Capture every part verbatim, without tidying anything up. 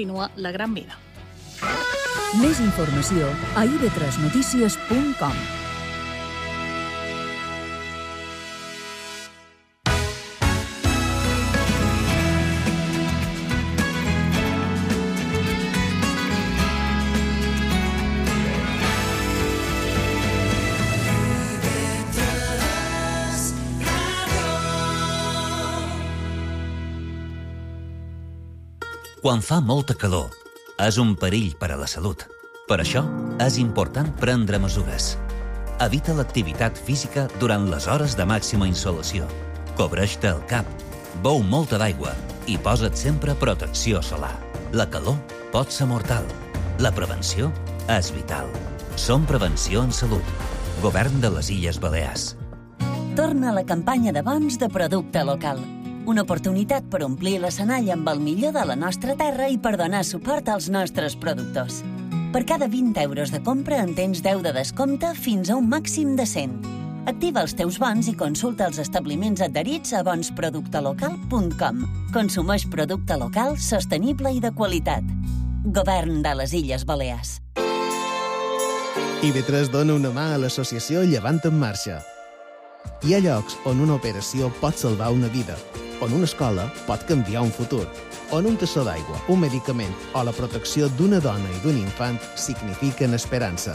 Continua la gran vida. Més informació a i ve tres notícies punt com. Quan fa molta calor, és un perill per a la salut. Per això, és important prendre mesures. Evita l'activitat física durant les hores de màxima insolació. Cobreix-te el cap, beu molta d'aigua i posa't sempre protecció solar. La calor pot ser mortal. La prevenció és vital. Som Prevenció en Salut. Govern de les Illes Balears. Torna a la campanya de bons de producte local. Una oportunitat per omplir l'escenari amb el millor de la nostra terra i per donar suport als nostres productors. Per cada vint euros de compra en tens deu de descompte fins a un màxim de cent. Activa els teus bons i consulta els establiments adherits a bons producte local punt com. Consumeix producte local, sostenible i de qualitat. Govern de les Illes Balears. i ve tres dona una mà a l'associació Llevant en Marxa. Hi ha llocs on una operació pot salvar una vida, on una escola pot canviar un futur, on un tassó d'aigua, un medicament o la protecció d'una dona i d'un infant signifiquen esperança.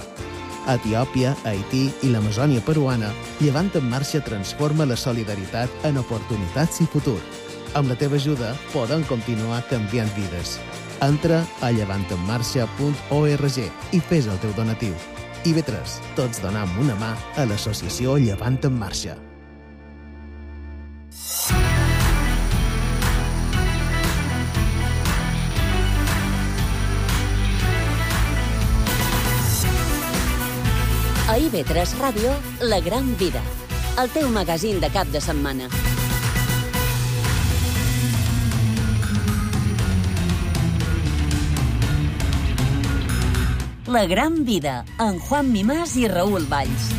A Etiòpia, Haití i l'Amazònia peruana, Llevant en Marxa transforma la solidaritat en oportunitats i futur. Amb la teva ajuda podem continuar canviant vides. Entra a llevant en marxa punt org i fes el teu donatiu. i ve tres, tots donam una mà a l'associació Llevant en Marxa. A i ve tres Ràdio, La Gran Vida, el teu magazín de cap de setmana. La Gran Vida, amb Juan Mimàs i Raül Valls.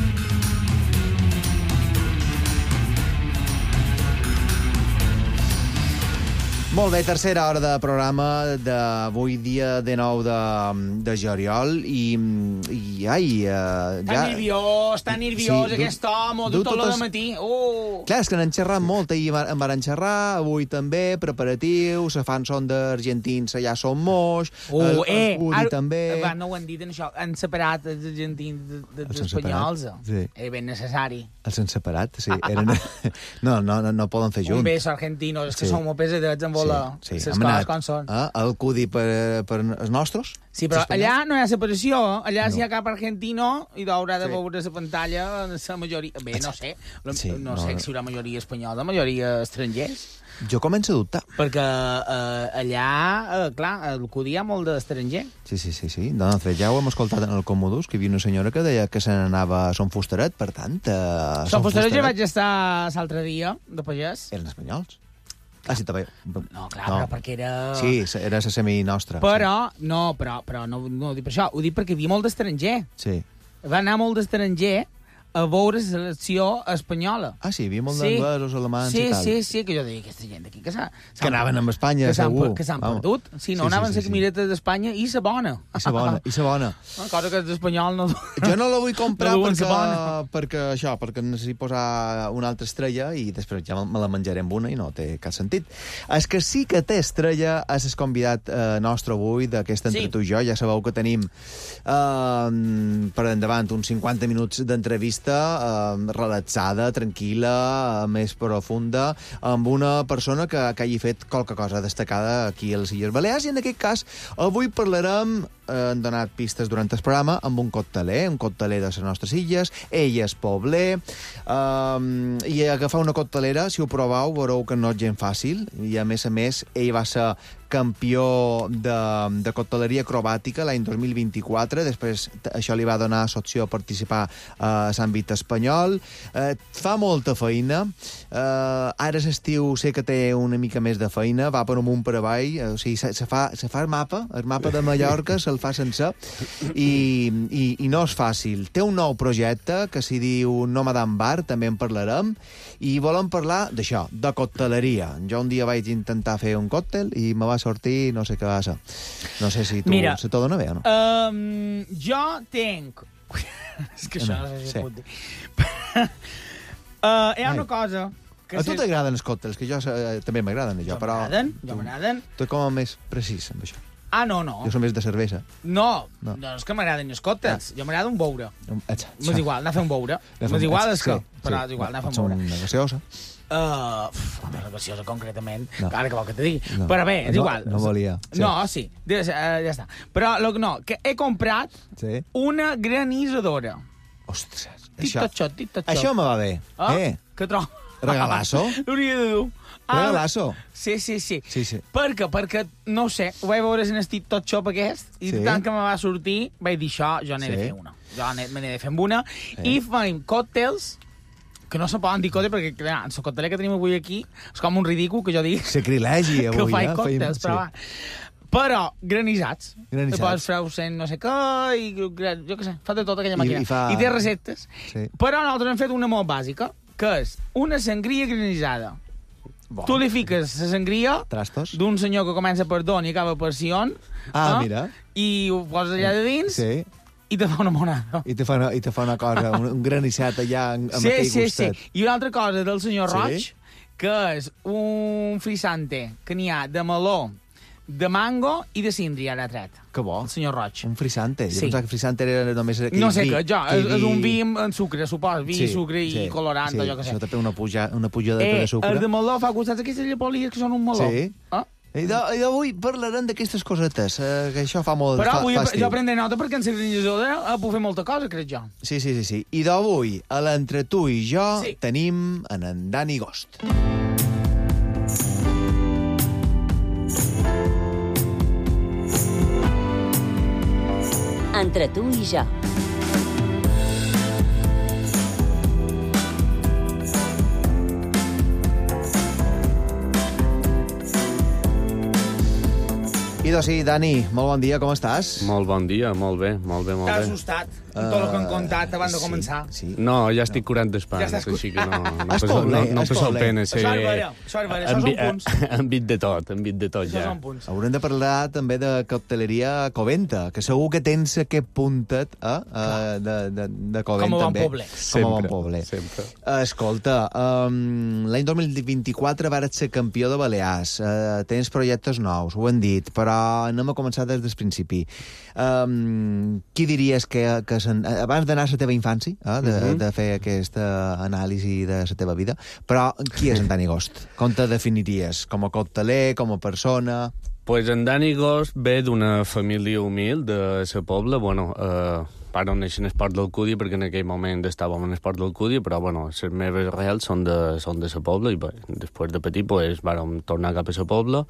Molt bé, tercera hora de programa d'avui, dia dinou de, de juliol, i, i ai... Uh, Està ja... nerviós, està nerviós, sí, aquest home, du tot el matí. Oh. Clar, és que n'han xerrat molt, ahir en van xerrar, avui també, preparatius, se fan son d'argentins, allà són moix, oh, el, eh, el Udi també... Va, no ho han dit en això, han separat els argentins dels espanyols. Sí. És ben necessari. Els han separat, sí. Eren... no, no, no, no poden fer junts. Un beso argentino, és que sí. Som molt pesadets amb volar. Sí, sí. Les coses com són. Eh? El Cudi per, per els nostres? Sí, però allà no hi ha separació. Allà no. Si hi ha cap argentino i haurà de sí. Veure la pantalla la majoria... Bé, no sé. Sí, no, no sé no. Si hi haurà majoria espanyola, majoria estrangers. Jo començo a dubtar. Perquè eh, allà, eh, clar, el Cudi hi ha molt d'estranger. Sí, sí, sí. sí. No, no, ja ho hem escoltat en el Comodus, que hi havia una senyora que deia que se n'anava a Son Fustaret, per tant... Eh, Son Fustaret ja vaig estar l'altre dia, de pagès. Eren espanyols? Ah, sí, també. No, clar, no. Però perquè era... Sí, era la semi nostra. Però, sí. no, però, però no, no ho dic per això, ho dic perquè hi havia molt d'estranger. Sí. Va anar molt d'estranger a veure la selecció espanyola. Ah, sí, hi havia molt sí. d'anglesos, alemans sí, i tal. Sí, sí, sí, que jo deia, aquesta gent d'aquí que s'ha... Que anaven amb Espanya, que segur. Que s'han perdut. Sí, no sí, anaven sí, sí, la camineta sí. d'Espanya i sa bona. I sa bona, i sa bona. Una cosa que l'espanyol no... Jo no la vull comprar no perquè, perquè això, perquè necessito posar una altra estrella i després ja me la menjaré amb una i no té cap sentit. És que sí que té estrella, és el convidat eh, nostre avui d'aquest Entre sí. Tu i jo. Ja sabeu que tenim eh, per endavant uns cinquanta minuts d'entrevista eh, relaxada, tranquil·la, més profunda, amb una persona que, que hagi fet qualque cosa destacada aquí a les Illes Balears, i en aquest cas avui parlarem, eh, han donat pistes durant el programa, amb un cocteler, un cocteler de les nostres illes, ell és pobler, eh, i agafar una coctelera, si ho proveu, veureu que no és gent fàcil, i a més a més, ell va ser campió de, de cocteleria acrobàtica l'any dos mil vint-i-quatre, després això li va donar l'opció a participar a l'àmbit espanyol. Eh, fa molta feina, eh, ara l'estiu sé que té una mica més de feina, va per amunt per avall, o sigui, se, se, fa, se fa el mapa, el mapa de Mallorca se'l fa sencer, i, i, i no és fàcil. Té un nou projecte que s'hi diu Nomadan Bar, també en parlarem, i volem parlar d'això, de cocteleria. Jo un dia vaig intentar fer un còctel i me va sortir, no sé què va ser. No sé si tu Mira, se t'ho dona bé o no? Um, jo tenc... És que això no, no sé si sí. Puc dir. uh, hi ha Ai. una cosa... Que a tu t'agraden els còctels, que jo eh, també m'agraden, jo, però... M'agraden, jo m'agraden. Tu com a més precís amb això. Ah, no, no. Jo som més de cervesa. No, no, no és que m'agraden els còctels. Ah. Jo m'agrada un beure. M'és igual, anar a fer un beure. M'és igual és que... Sí, però sí. És igual, anar a fer un beure. Una gaseosa. Uh, una gaseosa, concretament. No. Ara que vol que te digui. No. Però bé, és no, igual. No volia. Sí. No, sí. Ja, ja està. Però, lo, no, que he comprat sí. una granisadora. Ostres. Això, tito, això me va bé. Ah? Eh? Que trobo? Regalasso? L'hauria de dur. Ah, regalasso? Sí, sí, sí. sí, sí. Per què? Perquè, no ho sé, ho vaig veure en el TikTok Shop aquest, i sí. tant que me va sortir, vaig dir això, jo n'he sí. de fer una. Jo me n'he de fer amb una, sí. i farem còctels, que no se poden dir còctels, perquè, clar, el còcteler que tenim avui aquí és com un ridícul que jo dic... Sacrilegi, avui, que faig eh? còctels, sí. però va. Però granissats. Granissats. Te poses freusen no sé què, i jo què sé, fa de tot aquella màquina. I, i, fa... I té receptes. Sí. Però nosaltres hem fet una molt bàsica, que és una sangria granissada. Bon. Tu li fiques la sangria d'un senyor que comença per Don i acaba per Sion. Ah, eh? Mira. I ho poses allà de dins sí. i te fa una monada. I te fa una, i te fa una cosa, un, un granissat allà amb sí, aquell sí, gustet. Sí, i una altra cosa del senyor sí? Roig, que és un frisante que n'hi ha de meló, de mango i de síndria, ara tret. Que bo. El senyor Roig. Un frisante. Sí. Jo pensava que frisante era només aquell no sé vi. Què, jo, és, és un vi amb sucre, supos. Vi, sí, sucre i sí, colorant, sí. allò que sé. Això també una, puja, una pujada eh, de sucre. El de meló fa costats aquestes llepolies que són un meló. Sí. Eh? I d'avui parlarem d'aquestes cosetes, eh, que això fa molt... Però fa, avui fa jo prendré nota perquè en la granissadora eh, puc fer molta cosa, crec jo. Sí, sí, sí. sí. I d'avui, a l'entre tu i jo, sí. tenim en en Dani Gost. Entre tu i jo. I doncs sí, Dani, molt bon dia, com estàs? Molt bon dia, molt bé, molt bé, molt bé. T'has assustat amb tot el que han contat abans de començar? Sí, sí. No, ja estic curant d'espant, ja així que no, no, no, no, no, no passeu pena. Això és vera, això és vera, això són punts. Han vit de tot, han vit de tot, ja. Això són punts. Haurem de parlar també de cocteleria Coventa, que segur que tens aquest puntet eh, de, de, de Covent, com a bon també. poble. Com a bon poble. Sempre. Escolta, um, l'any dos mil vint-i-quatre vares ser campió de Balears, uh, tens projectes nous, ho hem dit, però anem a començar des del principi. Um, qui diries que, que sen... abans d'anar a la teva infància, eh, de, uh-huh. de fer aquesta anàlisi de la teva vida, però qui és en Dani Gost? Com te definiries? Com a cocteler, com a persona? Pues en Dani Gost ve d'una família humil de la Pobla, bueno, eh, pare on neixen esport del Cudi, perquè en aquell moment estàvem en esport del Cudi, però bueno, les meves reals són de, són de la Pobla, i bé, després de petit pues, vàrem tornar cap a la Pobla.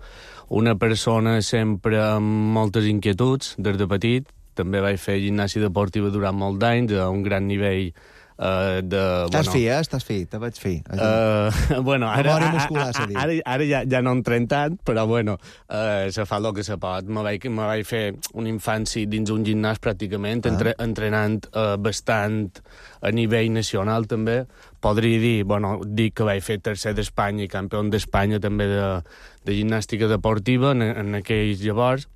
Una persona sempre amb moltes inquietuds, des de petit. També vaig fer gimnàsia deportiva durant molt d'anys, a un gran nivell Uh, de, estàs bueno, fi, eh? Estàs fi, te vaig fi. Uh, bueno, ara, muscular, a, a, ara, ara ja, ja no entrem tant, però bueno, uh, se fa el que se pot. Me vaig, me vaig fer una infància dins un gimnàs pràcticament, ah. entre, entrenant uh, bastant a nivell nacional també. Podria dir, bueno, dic que vaig fer tercer d'Espanya i campió d'Espanya també de, de gimnàstica deportiva en, en aquells llavors.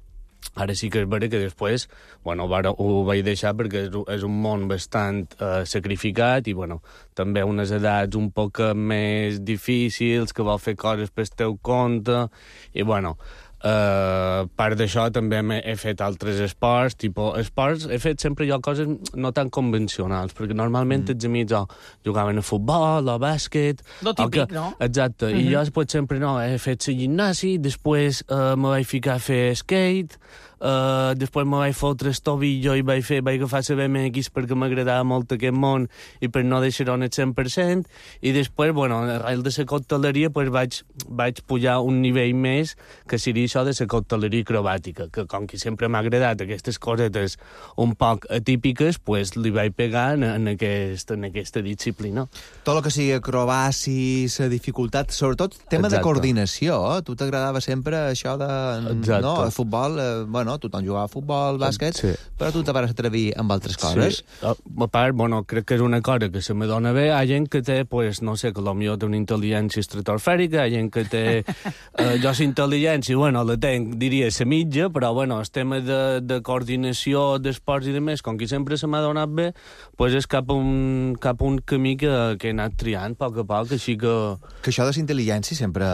Ara sí que és vera que després, bueno, ho vaig deixar perquè és, és un món bastant eh, sacrificat i, bueno, també unes edats un poc més difícils, que vol fer coses per teu compte, i, bueno, Uh, part d'això també he fet altres esports, tipus esports, he fet sempre jo coses no tan convencionals, perquè normalment mm. els amics oh, jugaven a futbol o a bàsquet. Lo típic, que, no? Exacte, mm-hmm. i jo pues, sempre no, he fet la gimnàsia, després uh, me vaig ficar a fer skate, Uh, després me vaig fotre el tobillo i vaig, fer, vaig agafar la B M X perquè m'agradava molt aquest món i per no deixar-ho en el cent per cent, i després, bueno, arrel de la cocteleria pues, vaig, vaig pujar un nivell més, que seria això de la cocteleria acrobàtica, que com que sempre m'ha agradat aquestes cosetes un poc atípiques, pues, li vaig pegar en, en, aquest, en aquesta disciplina. Tot el que sigui acrobaci, la dificultat, sobretot tema Exacte. de coordinació, eh? Tu t'agradava sempre això de... Exacte. No, el futbol, eh, bueno, no? Tothom jugava a futbol, bàsquet, sí. però tu te vas atrevir amb altres coses. Sí. A part, bueno, crec que és una cosa que se me dona bé. Hi ha gent que té, pues, no sé, que potser té una intel·ligència estratosfèrica, hi ha gent que té... eh, jo la intel·ligència, bueno, la tenc, diria, la mitja, però, bueno, el tema de, de coordinació, d'esports i de més, com que sempre se m'ha donat bé, pues és cap a un, cap a un camí que, que he anat triant a poc a poc, així que... Que això de la intel·ligència sempre,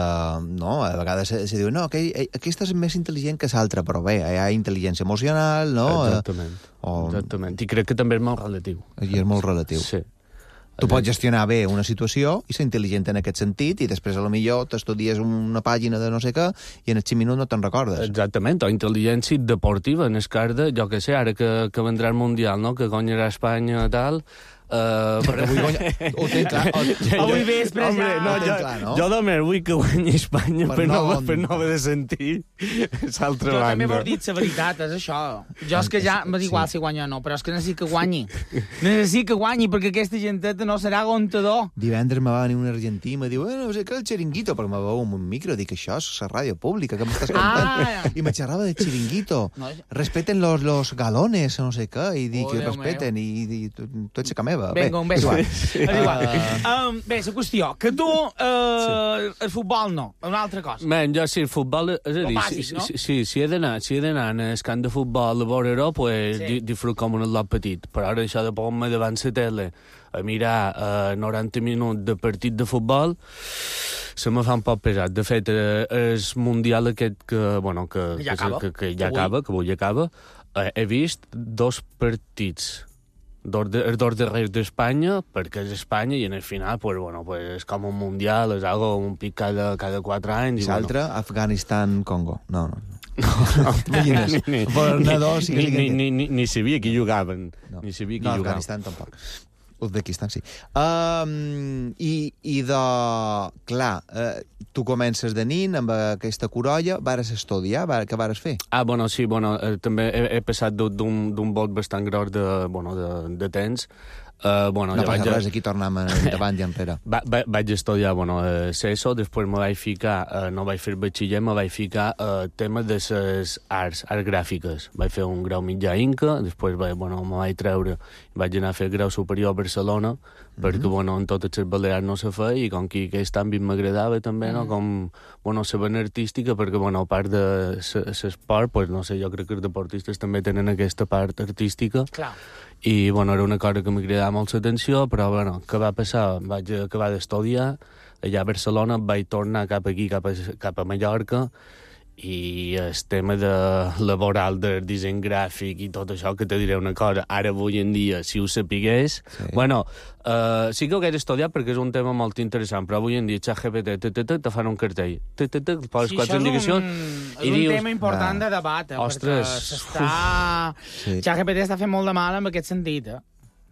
no? A vegades se, se diu, no, que aquesta és més intel·ligent que l'altra, però bé, hi ha intel·ligència emocional, no? Exactament, o... exactament. I crec que també és molt relatiu. I és molt relatiu. Sí. Tu pots gestionar bé una situació i ser intel·ligent en aquest sentit i després, a lo millor, t'estudies una pàgina de no sé què i en els cinc minuts no te'n recordes. Exactament, o intel·ligència deportiva, en el cas de, jo què sé, ara que, que vendrà el Mundial, no?, que guanyarà Espanya, tal... Uh, perquè avui guanya... Ho tenc clar. O... Avui vespre ja... Hombre, no, jo, clar, no? Jo només vull que guanyi Espanya per, per, no, no, per no haver de sentir l'altra banda. Jo també m'ho dit la veritat, és això. Jo és que ja m'és igual si guanya o no, però és que necessit que guanyi. Necessit que guanyi, perquè aquesta genteta no serà aguantador. Divendres me va venir un argentí i me diu, eh, no sé què, el xiringuito, perquè me veu amb un micro, dic, això és la ràdio pública, que m'estàs contant? Ah, I me xerrava de xiringuito. No, respeten los, los galones, no sé què, i dic, oh, respeten, i, i, i tu, tu ets a meva. Vinga, un beso. Sí. Igual. Uh, um, bé, la qüestió, que tu, uh, sí. el futbol no, una altra cosa. Ben, jo sí, el futbol, és a dir, bàsic, si, no? si, si, si he d'anar si he d'anar en el camp de futbol a veure-ho, pues, sí. disfrut com un lot petit. Però ara això de posar-me davant la tele a mirar uh, noranta minuts de partit de futbol, se me fa un poc pesat. De fet, uh, el Mundial aquest que, bueno, que, ja que, que, que ja acaba, que avui acaba, uh, he vist dos partits. Dos, de, dos darrers d'Espanya, perquè és Espanya, i en el final, pues, bueno, pues, és com un mundial, és algo un pic cada, cada quatre anys. I l'altre, bueno. Afganistan-Congo. No, no. No, no. Imagines, ni, Bernadors, ni, ni, ni, ni, ni sabia qui jugaven. No, ni sabia qui no jugaven. Afganistan tampoc. Uzbekistan, sí. Um, i, I de... Clar, uh, tu comences de nin amb aquesta corolla, vares estudiar, var, què vares fer? Ah, bueno, sí, bueno, eh, també he, he passat d'un vot bastant gros de, bueno, de, de temps. Uh, bueno, no ja passa vaig... res, aquí tornem davant i enrere. Va, va, vaig estudiar, bueno, eh, CESO, després me vaig ficar, eh, no vaig fer batxiller, me vaig ficar eh, tema de les arts, arts gràfiques. Vaig fer un grau mitjà Inca, després vaig, bueno, me vaig treure, vaig anar a fer grau superior a Barcelona, mm-hmm. perquè, bueno, en totes les balears no se feia, i com que aquest àmbit m'agradava també, mm-hmm. no?, com, bueno, la vena artística, perquè, bueno, a part de l'esport, pues, no sé, jo crec que els deportistes també tenen aquesta part artística. Clar. I, bueno, era una cosa que m'agradava molt l'atenció, però, bueno, què va passar? Vaig acabar d'estudiar allà a Barcelona, vaig tornar cap aquí, cap a, cap a Mallorca, i el tema de laboral del disseny gràfic i tot això, que te diré una cosa, ara avui en dia, si ho sapigués... Sí. Bueno, uh, sí que ho hagués estudiat perquè és un tema molt interessant, però avui en dia ChatGPT te, te, te, te fan un cartell, te, te, te, poses sí, quatre indicacions... És un, és un dius, tema important ah, de debat, eh, ostres, perquè s'està... Sí. ChatGPT està fent molt de mal en aquest sentit, eh?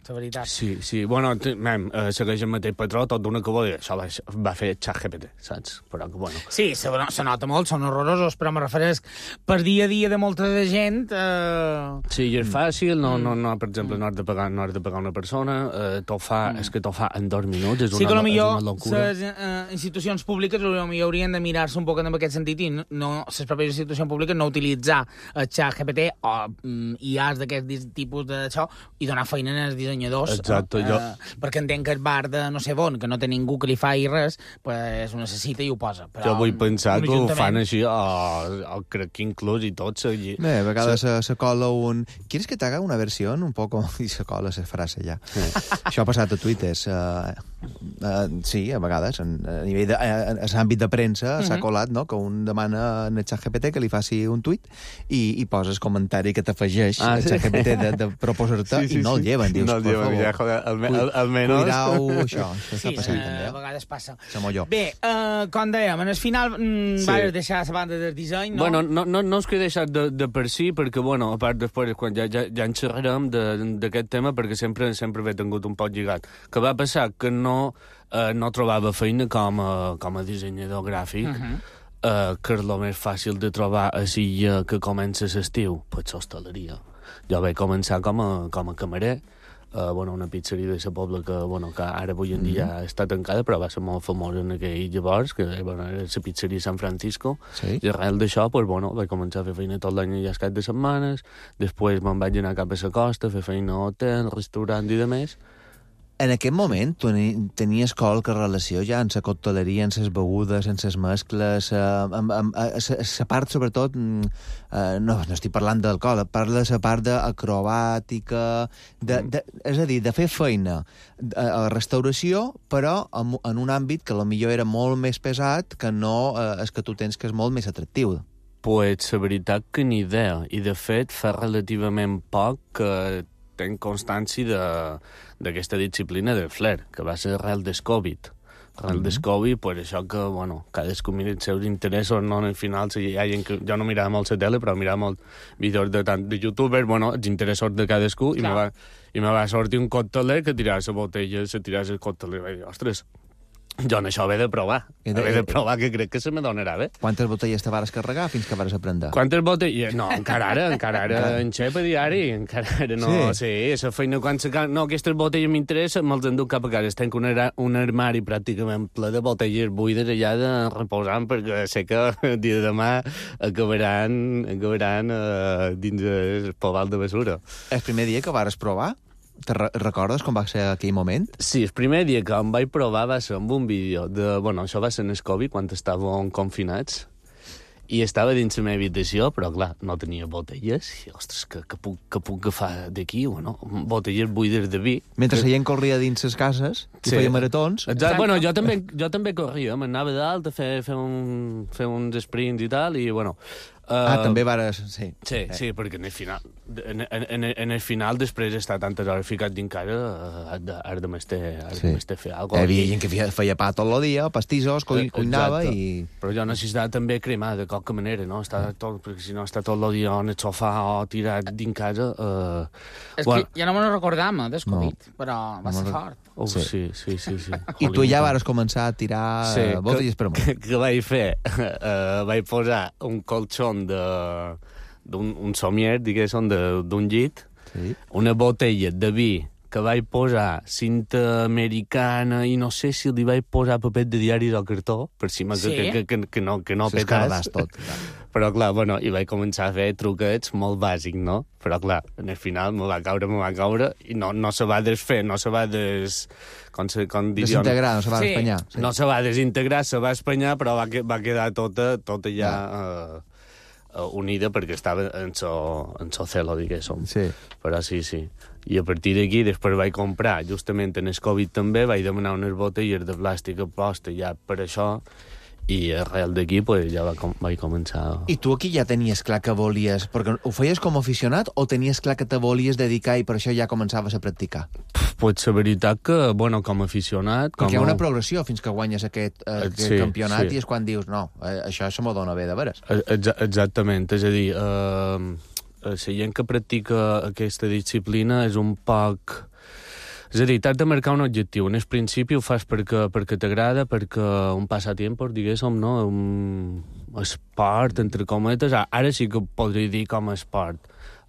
La veritat. Sí, sí. Bueno, mem, eh, segueix el mateix patró, tot d'una que vol dir, això va, va fer ChatGPT, saps? Però que, bueno... Sí, se, se nota molt, són horrorosos, però me refereix per dia a dia de molta de gent... Eh... Sí, i és fàcil, no, no, no, per exemple, no has de pagar, no has de pagar una persona, eh, t'ho fa, mm. és que t'ho fa en dos minuts, és una, sí, que millor, és una locura. Les eh, institucions públiques potser haurien de mirar-se un poc en aquest sentit i no, no, les pròpies institucions públiques no utilitzar el ChatGPT o mm, I As d'aquest tipus d'això i donar feina als dissenyadors. Exacte. Eh, jo... perquè entenc que el bar de no sé on, que no té ningú que li faci res, pues ho necessita i ho posa. Però jo vull pensar que ho fan així, o, o crec que inclús i tot seguir. Bé, a vegades se, se cola un... ¿Quieres que te haga una versión un poco? I se cola la frase ja. Sí. Això ha passat a Twitter. Uh, uh, sí, a vegades. En, a nivell de, a, a l'àmbit de premsa uh-huh. s'ha colat, no?, que un demana en el ChatGPT que li faci un tuit i, i poses comentari que t'afegeix ah, el ChatGPT sí? de, de proposar-te sí, sí, i no el lleven. Dius, no el lleven, ja, joder, al, al, almenys... Cuidau, això, això està sí, passant, eh, també. A vegades passa. Samolló. Bé, uh, com dèiem, en el final mm, sí. vas deixar la banda del disseny, no? Bueno, no, no, no és que he deixat de, de per si, perquè, bueno, a part després, quan ja, ja, ja en xerrarem d'aquest tema, perquè sempre sempre he tingut un poc lligat. Que va passar que no, eh, no trobava feina com a, com a dissenyador gràfic, uh-huh. eh, que és el més fàcil de trobar a Silla que comença l'estiu, pues l'hostaleria. Jo vaig començar com a, com a camarer, Uh, bueno, una pizzeria de la Pobla que, bueno, que ara avui en dia mm-hmm. està tancada, però va ser molt famosa en aquell llavors, que bueno, era la pizzeria San Francisco, sí. I arrel d'això, pues, bueno, vaig començar a fer feina tot l'any i cap de setmanes, després me'n vaig anar cap a la costa, a fer feina a hotel, restaurant i de més. En aquest moment, tu tenies qualque relació ja amb la cocteleria, amb les begudes, amb les mescles, amb, amb, la part, sobretot, eh, no, no estic parlant d'alcohol, parla de la part d'acrobàtica, de, de, és a dir, de fer feina a la restauració, però en, en un àmbit que potser era molt més pesat que no eh, és que tu tens, que és molt més atractiu. Pues, la veritat que ni idea, i de fet fa relativament poc que tenc constància d'aquesta disciplina del flair, que va ser arrel del Covid. Arrel del Covid, pues això que, bueno, cadascú mira els seus interessos, no? Al final, si hi ha gent que... Jo no mirava molt la tele, però mirava molt vídeos de, tant de youtubers, bueno, els interessos de cadascú, i me, va, i me va sortir un cocteler que tirava la botella, se tirava el cocteler, i vaig dir, ostres, jo en això he de provar, he de, he de provar, que crec que se me donarà bé. Quantes botelles te vares carregar fins que vares aprendre? Quantes botelles? No, encara ara, encara ara, en xep a diari, encara ara no, sí, sí la feina quan se... No, aquestes botelles m'interessen, me'ls enduc cap a casa. Tenc un, un armari pràcticament ple de botelles buides allà de reposant, perquè sé que el dia de demà acabaran, acabaran uh, dins el pobal de basura. El primer dia que vares provar? Te re recordes com va ser aquell moment? Sí, el primer dia que em vaig provar va ser amb un vídeo de... Bueno, això va ser en el Covid, quan estàvem confinats, i estava dins la meva habitació, però, clar, no tenia botelles, i, ostres, que, que, puc, que puc agafar d'aquí, o no? Botelles buides de vi. Mentre que... la gent corria dins les cases, i sí. feia maratons. Exacte. Bueno, jo també, jo també corria, m'anava dalt a fer, fer, un, fer uns sprints i tal, i, bueno... Uh, ah, també vares... Sí, sí, eh. sí, perquè en el final, en, en, en el final després d'estar tantes hores ficat dins casa, uh, has de m'estar sí. fer alguna cosa. Hi havia gent que feia, feia pa tot el dia, pastissos, cuinava i... Però jo necessitava també cremar de qualque manera, no? Estar tot, perquè si no està tot el dia en el sofà o tirat dins casa... Uh, és bueno. que ja no me'n recordam, del Covid, no. però va ser fort. Oh, sí, sí, sí, sí. sí. I tu ja vares començar a tirar sí, botelles per amunt. Que, que vaig fer? Uh, vaig posar un colxon de... d'un un somier, diguéssim, d'un llit, sí. una botella de vi que vaig posar cinta americana i no sé si li vaig posar paper de diaris o cartó, per si sí? que, que, que, que no, que no petàs. tot. Però, clar, bueno, i vaig començar a fer truquets molt bàsics, no? Però, clar, en el final me va caure, me va caure, i no, no se va desfer, no se va des... Com se, com desintegrar, no se va sí. espanyar. Sí. No se va desintegrar, se va espanyar, però va, va quedar tota, tota ja... Uh, uh, unida perquè estava en so, en so celo, diguéssim. Sí. Però sí, sí. I a partir d'aquí, després vaig comprar, justament en el Covid també, vaig demanar unes botelles de plàstic a posta ja per això, i arrel d'aquí pues, ja va com, vaig començar... I tu aquí ja tenies clar que volies... Perquè ho feies com a aficionat o tenies clar que te volies dedicar i per això ja començaves a practicar? Pues la veritat que, bueno, com a aficionat... Perquè com hi ha una progressió fins que guanyes aquest, eh, aquest sí, campionat sí. i és quan dius, no, eh, això se m'ho dona bé de veres. Exa exactament, és a dir... Eh... la gent que practica aquesta disciplina és un poc... És a dir, t'has de marcar un objectiu. En el principi ho fas perquè, perquè t'agrada, perquè un passatempo, diguéssim, no? Un esport, entre cometes. Ara sí que podria dir com a esport.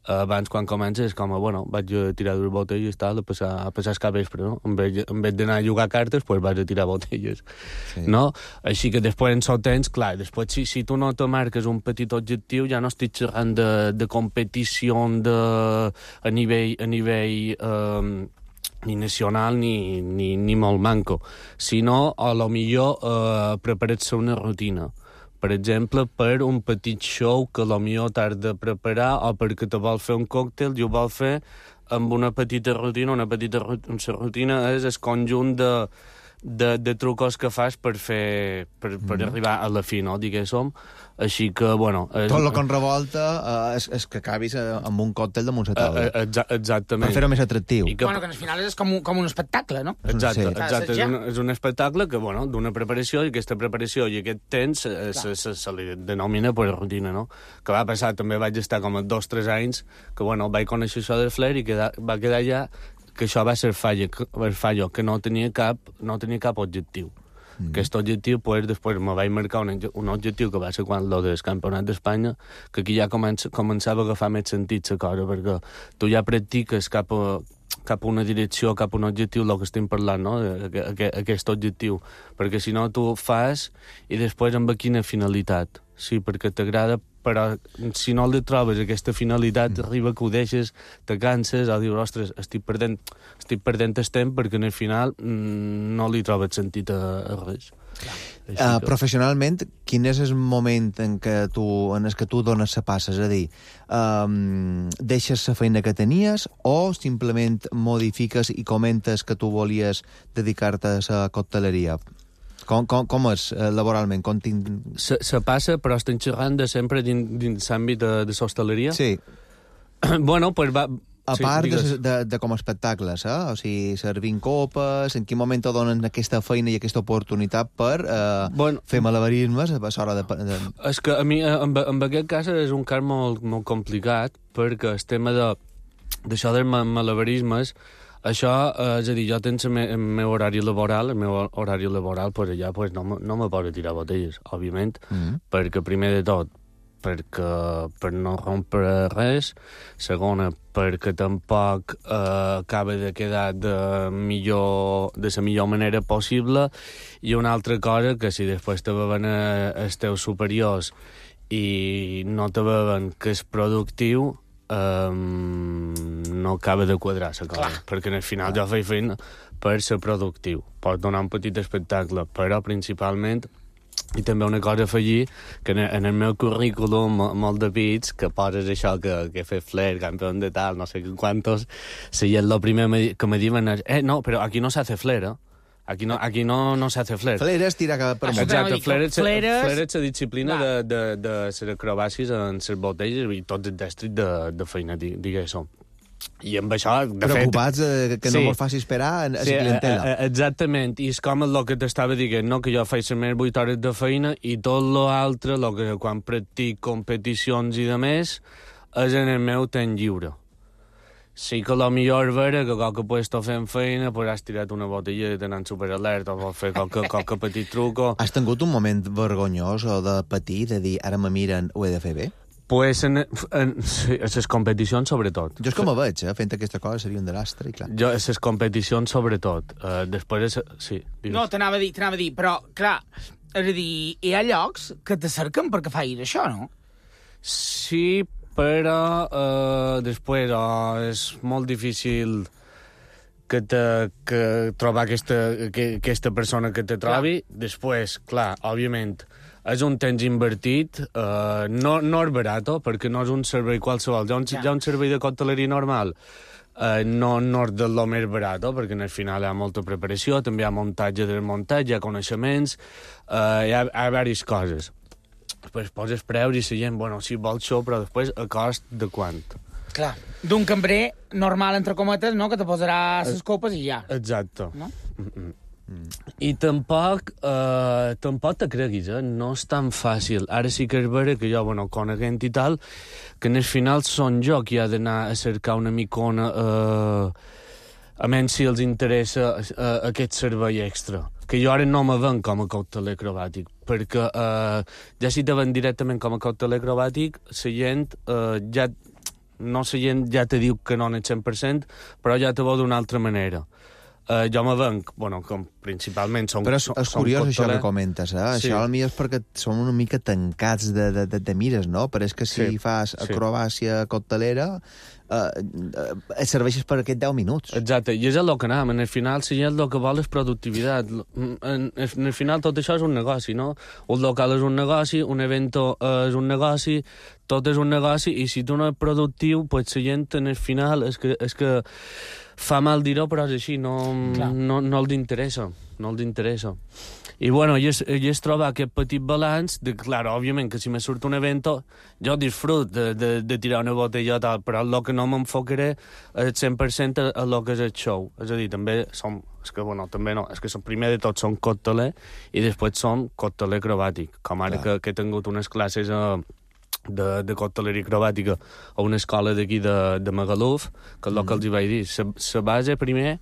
Abans, quan comences, és com a, bueno, vaig a tirar dues botelles i tal, a passar, a passar el capvespre, no? En vez, en vez d'anar a jugar cartes, pues vaig a tirar botelles, sí. no? Així que després en sol temps, clar, després si, si tu no te marques un petit objectiu, ja no estic xerrant de, de competició de, a nivell, a nivell eh, ni nacional ni, ni, ni molt manco, sinó a lo millor eh, preparar-se una rutina. Per exemple, per un petit show que potser t'has de preparar o perquè te vol fer un còctel i ho vol fer amb una petita rutina. Una petita rutina és el conjunt de, de, de trucos que fas per, fer, per, per mm. arribar a la fi, no? Diguéssim. Així que, bueno... És... Tot el que en revolta uh, és, és que acabis uh, amb un còctel damunt la taula. Uh, exa exactament. Per fer-ho més atractiu. Que... Bueno, que al final és com un, com un espectacle, no? Exacte, sí. exacte. És, un, és un espectacle que, bueno, d'una preparació, i aquesta preparació i aquest temps eh, se, se, se li denomina per rutina, no? Que va passar, també vaig estar com a dos o tres anys, que, bueno, vaig conèixer això del flair i queda, va quedar ja que això va ser fallo, fallo que no tenia cap, no tenia cap objectiu. Mm. Aquest objectiu, pues, després me vaig marcar un, un objectiu que va ser quan lo del Campionat d'Espanya, que aquí ja comença, començava a agafar més sentit la cosa, perquè tu ja practiques cap a, cap a una direcció, cap a un objectiu, el que estem parlant, no? Aquest, aquest objectiu. Perquè si no, tu fas i després amb quina finalitat. Sí, perquè t'agrada, però si no li trobes aquesta finalitat, mm. arriba que ho deixes, te canses, o dius, ostres, estic perdent, estic perdent el temps perquè en el final mm, no li trobes sentit a, a res. Uh, que... Professionalment, quin és el moment en què tu, en el que tu dones la passa? És a dir, um, deixes la feina que tenies o simplement modifiques i comentes que tu volies dedicar-te a la cocteleria? Com, com, com és eh, laboralment? Com tinc... se, se passa, però estem xerrant de sempre dins, dins l'àmbit de, de l'hostaleria? Sí. Bueno, pues va... A sí, part de, digues. de, de com a espectacles, eh? O sigui, servint copes, en quin moment te donen aquesta feina i aquesta oportunitat per eh, bueno, fer malabarismes a l'hora de, de... És que a mi, en, en aquest cas, és un cas molt, molt complicat, perquè el tema de d'això dels malabarismes, això, eh, és a dir, jo tens el meu, el meu horari laboral, el meu horari laboral, pues allà pues, no, no me poso a tirar botelles, òbviament, mm. perquè primer de tot, perquè per no rompre res, segona, perquè tampoc eh, acaba de quedar de, millor, de la millor manera possible, i una altra cosa, que si després te veuen els teus superiors i no te veuen que és productiu, Um, no acaba de quadrar la cosa, clar, perquè al final clar. Jo faig feina per ser productiu, pot donar un petit espectacle, però principalment, i també una cosa a afegir, que en, en el meu currículum molt de bits, que poses això que, que he fet flair, campió de tal, no sé quantos, si és el primer que me diuen és, eh, no, però aquí no s'hace flair, eh? Aquí no, aquí no, no s'hace flair. Flair és tirar cap per amunt. Exacte, flair és, flair és la disciplina de, de, de ser acrobàcies en les botelles i tot el destrit de, de feina, diguéssim. I amb això, de Preocupats fet... Preocupats que sí. No mos faci esperar a la sí, clientela. A, a, exactament, i és com el que t'estava dient, no? Que jo faig les meves vuit hores de feina i tot l'altre, lo que quan practic competicions i de més, és en el meu temps lliure. Sí que la millor vera que qualque puesto fent feina, pues has tirat una botella i tenen superalerta o vols fer qualque, qualque petit truco. Has tingut un moment vergonyós o de patir, de dir, ara me miren, ho he de fer bé? Pues en, en, sí, en les competicions, sobretot. Jo és com a veig, eh? Fent aquesta cosa seria un desastre, i clar. Jo, en les competicions, sobretot. Uh, després, és, sí. Digues. No, t'anava a dir, t'anava a dir, però, clar, és a dir, hi ha llocs que te cerquen perquè facis això, no? Sí, però uh, després oh, és molt difícil que, te, que trobar aquesta, que, aquesta persona que te trobi. Clar. Després, clar, òbviament, és un temps invertit, uh, no, no és barat, perquè no és un servei qualsevol. Hi ha un, ja. hi ha un servei de cocteleria normal, uh, no, no és de lo més barat, perquè al final hi ha molta preparació, també hi ha muntatge del muntatge, hi ha coneixements, uh, hi ha, hi ha diverses coses. Després poses preus i la gent, bueno, si vols això, però després a cost de quant? Clar, d'un cambrer normal, entre cometes, no?, que te posarà les copes i ja. Exacte. No? Mm-mm. Mm. I tampoc, eh, tampoc te creguis, eh? No és tan fàcil. Ara sí que és vera que jo, bueno, coneguent i tal, que en el final són jo qui ha d'anar a cercar una micona, eh, a menys si els interessa eh, aquest servei extra. Que jo ara no me ven com a cocteler acrobàtic, perquè eh, ja si te ven directament com a cocteler acrobàtic, la gent eh, ja... No la gent ja te diu que no en el cent per cent, però ja te veu d'una altra manera. Uh, jo me venc, bueno, com principalment som... Però és, és curiós això que comentes, eh? Sí. Això potser és perquè som una mica tancats de, de, de, de mires, no? Però és que si sí. fas acrobàcia coctelera, eh, et serveixes per aquests deu minuts. Exacte, i és el que anàvem. En el final, si el que vol és productivitat. En, en el final tot això és un negoci, no? Un local és un negoci, un evento és un negoci, tot és un negoci, i si tu no ets productiu, pues la gent en el final és que... És que fa mal dir-ho, però és així, no, no, no els interessa, no els interessa. I, bueno, i és, i és trobar aquest petit balanç de, clar, òbviament, que si me surt un evento, jo disfrut de, de, de tirar una botella tal, però el que no m'enfocaré el cent per cent a el que és el show. És a dir, també som, és que, bueno, també no, és que som, primer de tot som cocteler i després som cocteler acrobàtic, com ara que, que he tingut unes classes a... de, de cocteleria acrobàtica a una escola d'aquí de, de Magaluf, que és el mm. que els hi vaig dir. La base primer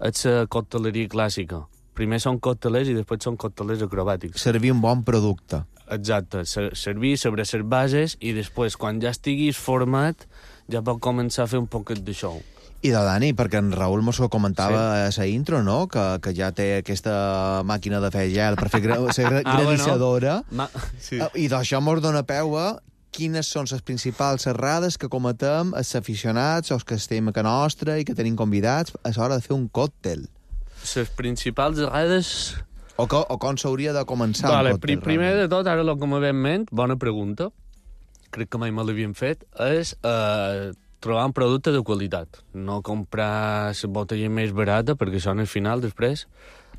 és la cocteleria clàssica, primer són coctelers i després són coctelers acrobàtics. Servir un bon producte. Exacte, servir sobre les bases i després, quan ja estiguis format, ja pot començar a fer un poquet de show. I de Dani, perquè en Raül mos ho comentava sí. a la intro, no?, que, que ja té aquesta màquina de fer gel per fer gra ser ah, granissadora. Bueno. Sí. I d'això mos dona peu a quines són les principals errades que cometem els aficionats o els que estem a casa nostra i que tenim convidats a l'hora de fer un còctel. Les principals errades... O, co o com s'hauria de començar vale, un còctel. Primer realment. de tot, ara el que me ve en ment, bona pregunta, crec que mai me l'havien fet, és eh, trobar un producte de qualitat. No comprar la botella més barata, perquè això, al final, després,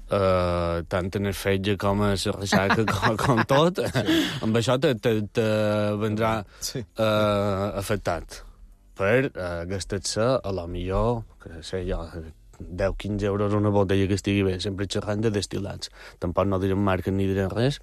eh, tant en el fetge com a la ressaca, com, com tot, sí. amb això te, te, te vendrà sí. eh, afectat. Per eh, gastar-se, a lo millor, que sé jo, deu a quinze euros una botella que estigui bé, sempre xerrant de destil·lats. Tampoc no direm marques ni direm res,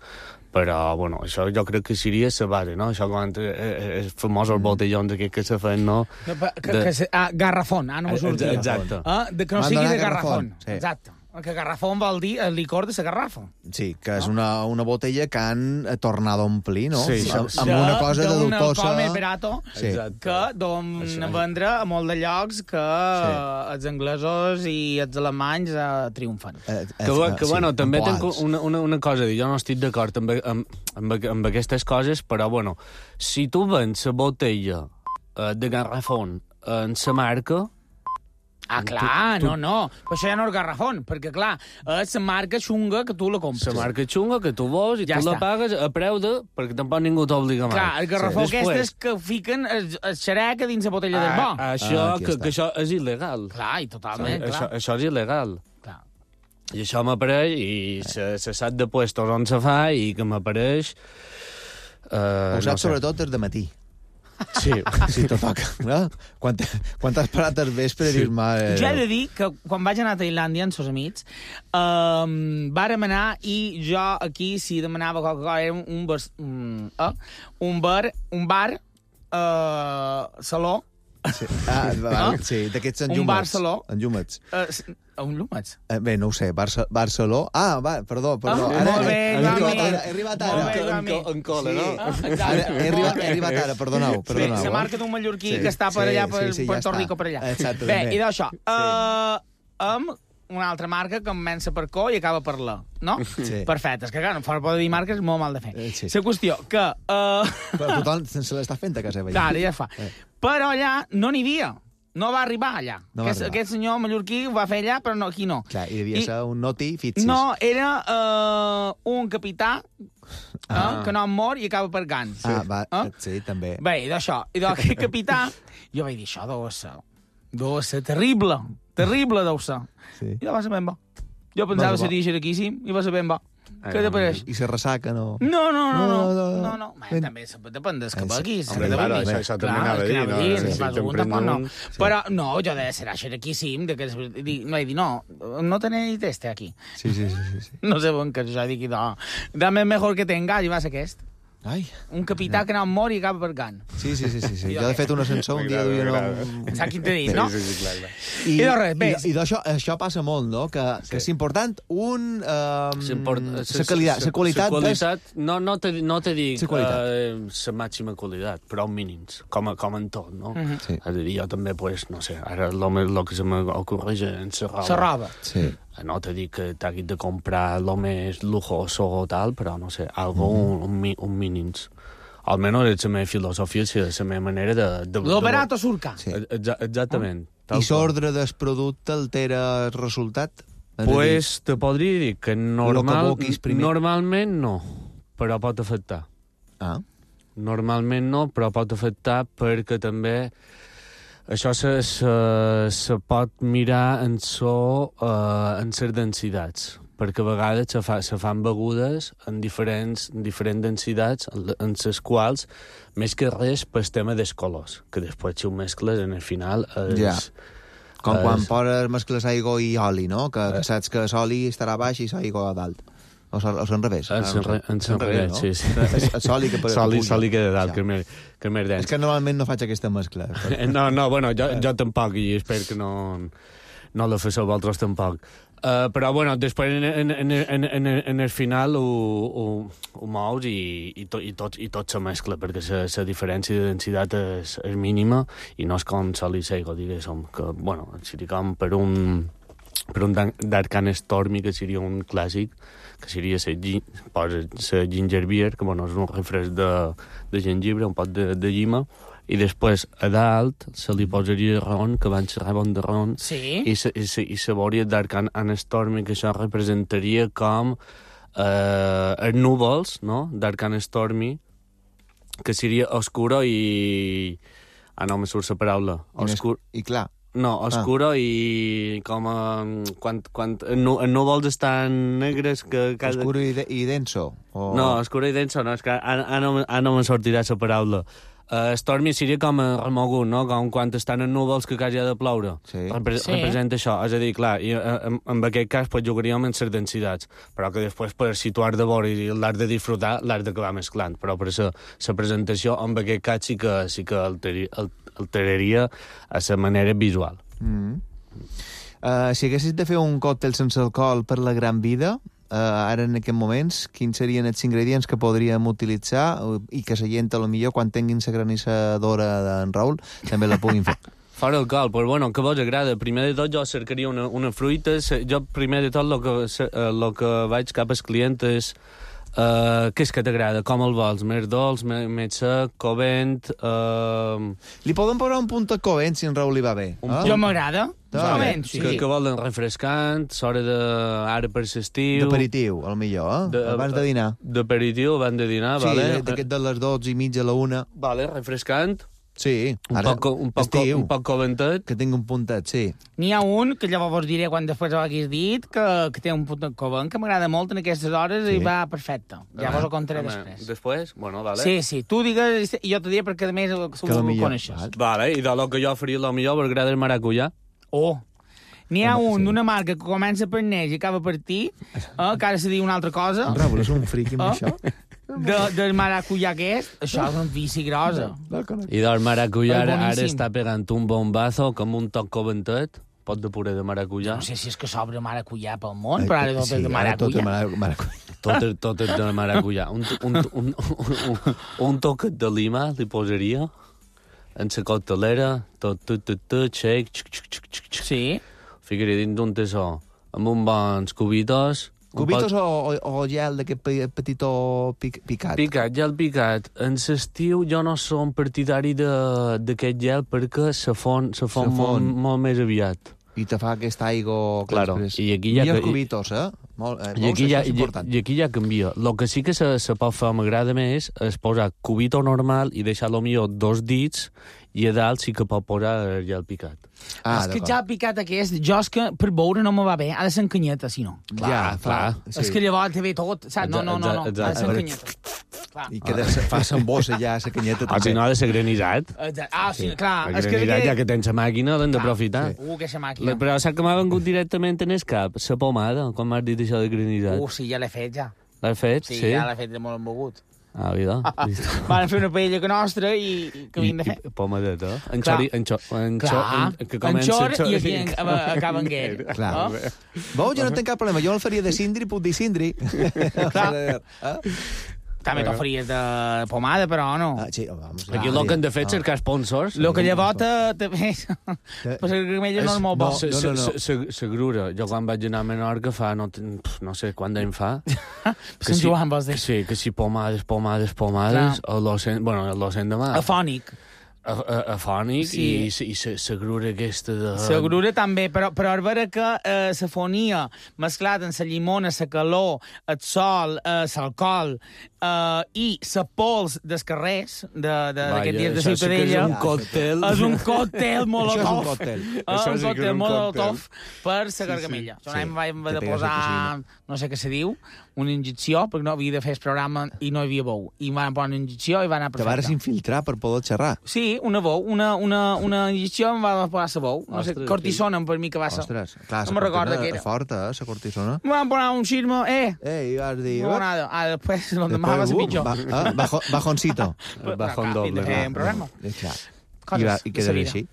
però, bueno, això jo crec que seria la base, no? Això com els famosos botellons aquests que se fan, no? Que, que, de... que, ah, garrafón, ah, no m'ho sortia. Exacte. Ah, de, que no sigui de garrafón. Sí. Exacte. Que garrafón vol dir el licor de la garrafa. Sí, que és una, una botella que han tornat a omplir, no? Sí, amb, amb una cosa de dubtosa... D'un alcohol més barato, sí. que don vendre a molt de llocs que sí. els anglesos i els alemanys eh, triomfen. Eh, eh, que, que sí, bueno, també tenc una, una, una cosa a dir. Jo no estic d'acord amb, amb, amb, amb aquestes coses, però, bueno, si tu vens la botella eh, de garrafón en la marca... Ah, clar, tu, tu... no, no. Però això ja no és garrafón, perquè, clar, és la marca xunga que tu la compres. La marca xunga que tu vols i ja tu està. La pagues a preu de... perquè tampoc ningú t'obliga mai. Clar, el garrafó sí. aquestes Després... que fiquen el, el xerec dins la botella ah, del bo. Això, ah, que, que això és il·legal. Clar, i totalment, sí, clar. Això, això és il·legal. Clar. I això m'apareix, i se, se sap de puestos on se fa, i que m'apareix... Eh, Ho saps no sé. Sobretot des de matí. Sí, sí, tot toca. No? Quan, quan t'has parat al vespre sí. dir-me... Eh... Jo he de dir que quan vaig anar a Tailàndia amb els amics, um, vàrem anar i jo aquí, si demanava qualque cosa, era un, un, bar, un, uh, un bar, un bar, uh, saló. Sí, ah, va, no? sí d'aquests enllumats. Un bar saló. Enllumats. Uh, un llumats? Eh, bé, no ho sé, Barça, Barceló... Ah, va, perdó, perdó. Ah, ara, molt bé, he, he, he arribat ara. En, en, en cola, sí. no? Ah, ara, he, arribat, he arribat ara, perdoneu. perdoneu sí, la marca d'un mallorquí sí, que està per allà, per sí, sí, Puerto ja Rico, per allà. Exacte, bé, i d'això, sí. uh, amb una altra marca que comença per co i acaba per la, no? Sí. Perfecte, és que clar, no fora poder dir marques és molt mal de fer. Sí. La qüestió que... Uh... Però tothom se l'està fent a casa seva. Clar, ja fa. Eh. Però allà no n'hi havia. No va arribar allà. No aquest, arribar. aquest senyor mallorquí ho va fer allà, però no, aquí no. Clar, i devia I, ser un noti fixis. No, era uh, un capità ah. uh, que no mor i acaba per Gans. Ah, va, uh? sí, també. Bé, i d'això, i d'aquest capità, jo vaig dir, això deu ser, deu ser terrible, terrible deu ser. Sí. I no va ser ben bo. Jo pensava que seria xeraquíssim i va ser ben bo. Què te pareix? I se ressaca, no? No, no, no, no, no, no, no. Man, també depèn dels que beguis. Home, claro, això, això també anava a dir, no? Sí, sí, un, tampoc, no. Sí. Però, no, jo de ser xeraquíssim, de que no he dit, no, no tenéis este aquí. Sí, sí, sí, sí. No sé on que jo dic, no, dame mejor que tenga, i va ser aquest. Ai. Un capità no. que no mor i acaba per Gan. Sí, sí, sí, sí, sí. Jo, de fet, un ascensor un dia duia... No... Saps quin t'he dit, no? Sí, sí, sí, clar, clar. I, I, res, i, i d'això això passa molt, no? Que, sí. que és important un... Um, la qualitat. La qualitat, qualitat no, no, te, no te dic la uh, màxima qualitat, però mínims, com, a, com en tot, no? Uh -huh. Sí. És a dir, jo també, pues, no sé, ara el que se m'ocorreix en la roba. La roba. Sí. No te dic que t'haguis de comprar lo més lujoso o tal, però, no sé, algo, mm. un, un, un mínims. Almenys és la meva filosofia, és la meva manera de... de lo barato surca. Sí. Exa exactament. I l'ordre del producte altera el resultat? Pues te podria dir que normal, que normalment no, però pot afectar. Ah. Normalment no, però pot afectar perquè també... Això se, se, se pot mirar en so uh, en les densitats, perquè a vegades se, fa, se fan begudes en diferents, en diferents densitats, en les quals, més que res, pel tema dels colors, que després si ho mescles, en el final... És, ja. Com és... quan poses mescles aigua i oli, no? Que, que saps que l'oli estarà baix i l'aigua a dalt. O s'en revés? En s'en revés, no? Sí, sí. El soli que, soli, soli que de dalt, ja. que més, que més dens. És que normalment no faig aquesta mescla. No, no, bueno, jo, jo tampoc, i espero que no, no la feu vosaltres tampoc. Uh, però, bueno, després en, en, en, en, en, en el final ho, ho, ho mous i, i, to, i, tot, i tot se mescla, perquè la diferència de densitat és, és mínima i no és com sol i seigo, diguéssim, que, bueno, seria com per un, per un Dark and Stormy, que seria un clàssic, que seria la ginger beer, que, bueno, és un refresc de, de jengibre, un pot de, de llima, i després a dalt se li posaria ron, que van ser bon de ron, sí. i se, i se, i se veuria Dark and Stormy, que això representaria com eh, els núvols, no? Dark and Stormy, que seria oscuro i... Ah, no, me surt la paraula. Oscur... I clar. No, oscuro ah. i com a... Quan, quan els núvols estan negres... que cada... Oscuro i, de, i denso? O... No, oscuro i denso no, és que ara, ara, no, ara no me sortirà la paraula. Uh, Stormy seria com a remogut, no? Com quan estan en núvols que quasi ha de ploure. Sí. Repre sí. Representa això. És a dir, clar, i, en, en aquest cas pues, jugaríem en les densitats, però que després per situar de vora i l'art de disfrutar l'art d'acabar mesclant. Però per això la presentació en aquest cas sí que, sí que alteri, alteraria a la manera visual. Mm. Uh, si haguessis de fer un còctel sense alcohol per la gran vida, Uh, ara en aquests moments, quins serien els ingredients que podríem utilitzar uh, i que la gent, a lo millor, quan tinguin la granissadora d'en Raül, també la puguin fer? Fora alcohol, però bueno, que vos agrada? Primer de tot jo cercaria una, una fruita. Jo primer de tot el que, lo que vaig cap als clients és uh, què és que t'agrada, com el vols, més dolç, més, més sec, covent... Uh... Li podem posar un punt de covent si en Raül li va bé. Un eh? Jo m'agrada. Vale. Sí. Que, que volen refrescant, s'hora de... ara per l'estiu... D'aperitiu, al millor, eh? De, abans de dinar. D'aperitiu, abans de dinar, sí, vale. Sí, d'aquest de les dotze i mitja a la una. Vale, refrescant. Sí, un ara, poc, un, poc, estiu, un poc coventet. Que tingui un puntet, sí. N'hi ha un, que llavors vos diré quan després ho haguis dit, que, que té un puntet covent, que m'agrada molt en aquestes hores sí. i va perfecte. Ja vos ho contaré ah, després. Després? Bueno, vale. Sí, sí, tu digues, i jo t'ho diré perquè a més ho coneixes. Vale, i de lo que jo faria, lo millor m'agrada el maracuyà. Oh, n'hi ha un sí. d'una marca que comença per neix i acaba per ti, eh, que ara se diu una altra cosa. En Raül és un friqui amb oh. això. De, del maracuyà aquest, això és un vici grosa. I del maracuyà ara, ara està pegant un bombazo com un toc coventet, pot de puré de maracuyà. No sé si és que s'obre maracuyà pel món, però ara tot sí, és de maracuyà. Tot, maracuyà. tot, és, tot és de maracuyà. Un, un, un, un, un, un toquet de lima li posaria en la coctelera, tot, tot, tot, tot, shake, xic, xic, xic, xic, xic. Sí. Ficaria dins d'un tessó, amb uns bons cubitos. Cubitos pot... o, o, o gel d'aquest petitó pic, picat? Picat, gel picat. En l'estiu jo no som partidari d'aquest gel perquè se fon, se fon, se fon. Molt, molt més aviat. I te fa aquesta aigua... Claro, i aquí ja... I els cubitos, eh? Molt, eh, I, aquí ja, i, I aquí ja canvia. El que sí que se, se pot fer, m'agrada més, és posar cubito normal i deixar-lo millor dos dits i a dalt sí que pot posar el gel picat. Ah, és que ja picat aquest, jo és que per beure no me va bé, ha de ser en canyeta, si no. Clar, ja, clar. Sí. És que llavors te ve tot, saps? No, no, no, no, ha de ser en canyeta. Clar. I que de, fa s'embossa ja la canyeta. Ah, si no ha de ser granissat. Ah, sí, clar. El granissat, que... ja que tens la màquina, l'hem d'aprofitar. Sí. Uh, que és la màquina. Però saps que m'ha vengut directament en el cap? La pomada, com m'has dit això de granissat. Uh, sí, ja l'he fet, ja. L'has fet? Sí, sí? ja l'he fet de molt embogut. Ah, vida. Van fer una paella que nostra i que vinc de fer. I pomadeta. En xori... En xor... En xor... Que comença en xor i aquí acaba en guer. Clar. Veu, jo no tinc cap problema. Jo el faria de cindri, puc dir cindri. Clar. També t'ho faries de pomada, però no. Ah, sí, vamos, aquí el que han de fer és cercar sponsors. El que llavors te ves... Però la gramella no és molt bo. La grura. Jo quan vaig anar a Menorca fa... No sé quant d'any fa. Sant Joan, vols dir? Sí, que si pomades, pomades, pomades... Bueno, l'ocent de mar. Afònic. Afònic sí. i, i la grura aquesta de... La grura també, però, però a veure que eh, la fonia mesclat amb la llimona, la calor, el sol, eh, l'alcohol eh, i la pols dels carrers d'aquests dies de Ciutadella... És un còctel. És un còctel molotov. Això és un còctel. Eh, un còctel molotov per la gargamella. Sí, sí. Jo vam haver de posar, no sé què se diu, una injecció, perquè no havia de fer el programa i no hi havia bou. I van posar una injecció i va anar perfecte. Te vas infiltrar per poder xerrar. Sí, una bou, una, una, una injecció em va posar la bou. No sé, cortisona per mi que va ser. Ostres, clar, no me'n recordo què era. Forta, eh, la cortisona. Em van posar un xirmo, eh. Eh, i vas dir... No, nada. Ah, després, l'endemà va ser pitjor. Ba, eh, bajo, bajoncito. Bajón doble. De fer un programa. Coses i, i quedarà així.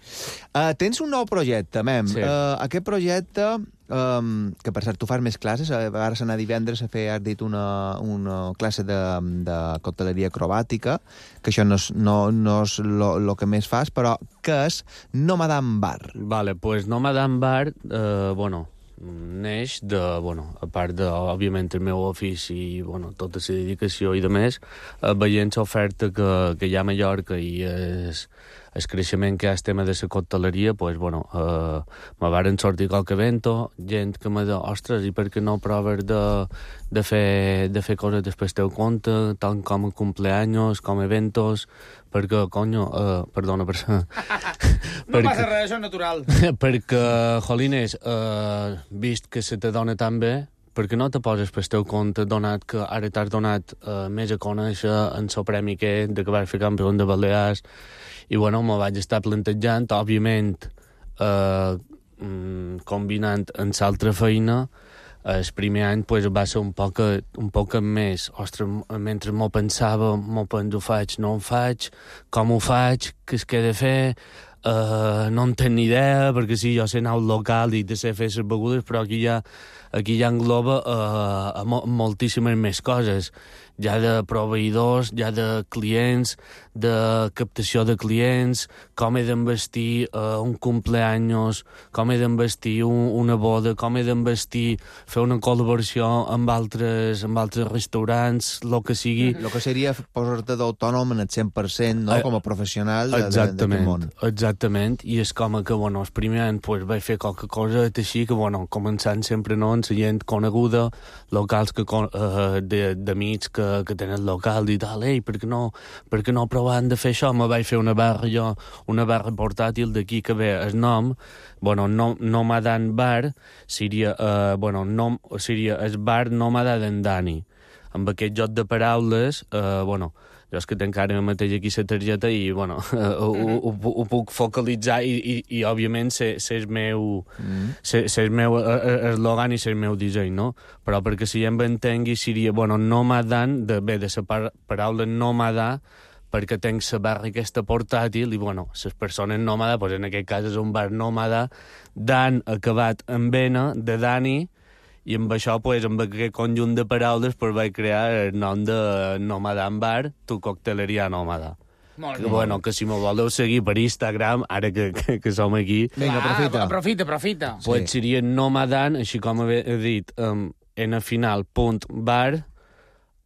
Uh, tens un nou projecte, Mem. Sí. Uh, aquest projecte, um, que per cert, tu fas més classes, ara s'anà divendres a fer, has dit, una, una classe de, de cocteleria acrobàtica, que això no és, no, no és lo, lo que més fas, però que és Nomadan Bar. Vale, pues Nomadan Bar, eh, bueno, neix de, bueno, a part de, òbviament, el meu ofici i, bueno, tota la dedicació i de més, eh, veient l'oferta que, que hi ha a Mallorca i és el creixement que hi ha el tema de la cocteleria, pues, bueno, eh, me varen sortir qualque evento, gent que me diu, ostres, i per què no proves de, de, fer, de fer coses després teu compte, tant com a cumpleaños, com a eventos, perquè, conyo, eh, perdona per ser... no perquè, passa res, això és natural. Perquè, jolines, eh, vist que se te dona tan bé, perquè no te poses per teu compte, donat que ara t'has donat eh, més a conèixer en el premi que de que vas fer campió de Balears, i bueno, me vaig estar plantejant, òbviament, eh, combinant amb l'altra feina. El primer any pues, va ser un poc, un poc més, ostres, mentre m'ho pensava, m'ho penso, ho faig, no ho faig, com ho faig, què es que he de fer, uh, no en tenc ni idea, perquè sí, jo sé anar al local i de ser fer les begudes, però aquí ja, aquí ja engloba uh, mo moltíssimes més coses, ja de proveïdors, ja de clients, de captació de clients, com he d'envestir uh, un cumpleaños, com he d'envestir un, una boda, com he d'envestir fer una col·laboració amb altres, amb altres restaurants, el que sigui. El que seria posar-te d'autònom en el cent per cent, no? Com a professional d'aquest món. Exactament, i és com que, bueno, el primer any pues, vaig fer qualque cosa així, que, bueno, començant sempre, no?, amb la gent coneguda, locals que, uh, d'amics que, que tenen local i tal, ei, per què no, per què no provant de fer això? Me vaig fer una barra jo, una barra portàtil d'aquí que ve el nom, bueno, no, Nomadan Bar, seria, uh, bueno, nom, seria el bar Nòmada d'en Dani. Amb aquest joc de paraules, uh, bueno, jo és que tenc ara mateix aquí la targeta i, bueno, uh, ho, ho, ho, ho puc focalitzar i, i, i òbviament, ser el meu, ser, ser meu eslògan i ser el meu disseny, no? Però perquè si ja em entengui seria, bueno, Nomadan, de, bé, de la par paraula nòmada, perquè tenc la barra aquesta portàtil i, bueno, les persones nòmada, doncs en aquest cas és un bar nòmada, Dan acabat en Vena, de Dani, i amb això, pues, amb aquest conjunt de paraules, pues, vaig crear el nom de Nomadan Bar, tu cocteleria nòmada. Molt bé. Bueno, que si me voleu seguir per Instagram, ara que, que, que som aquí... Vinga, aprofita. Aprofita, aprofita. Pues sí. Seria Nomadan, així com he dit, um, en final, punt, bar,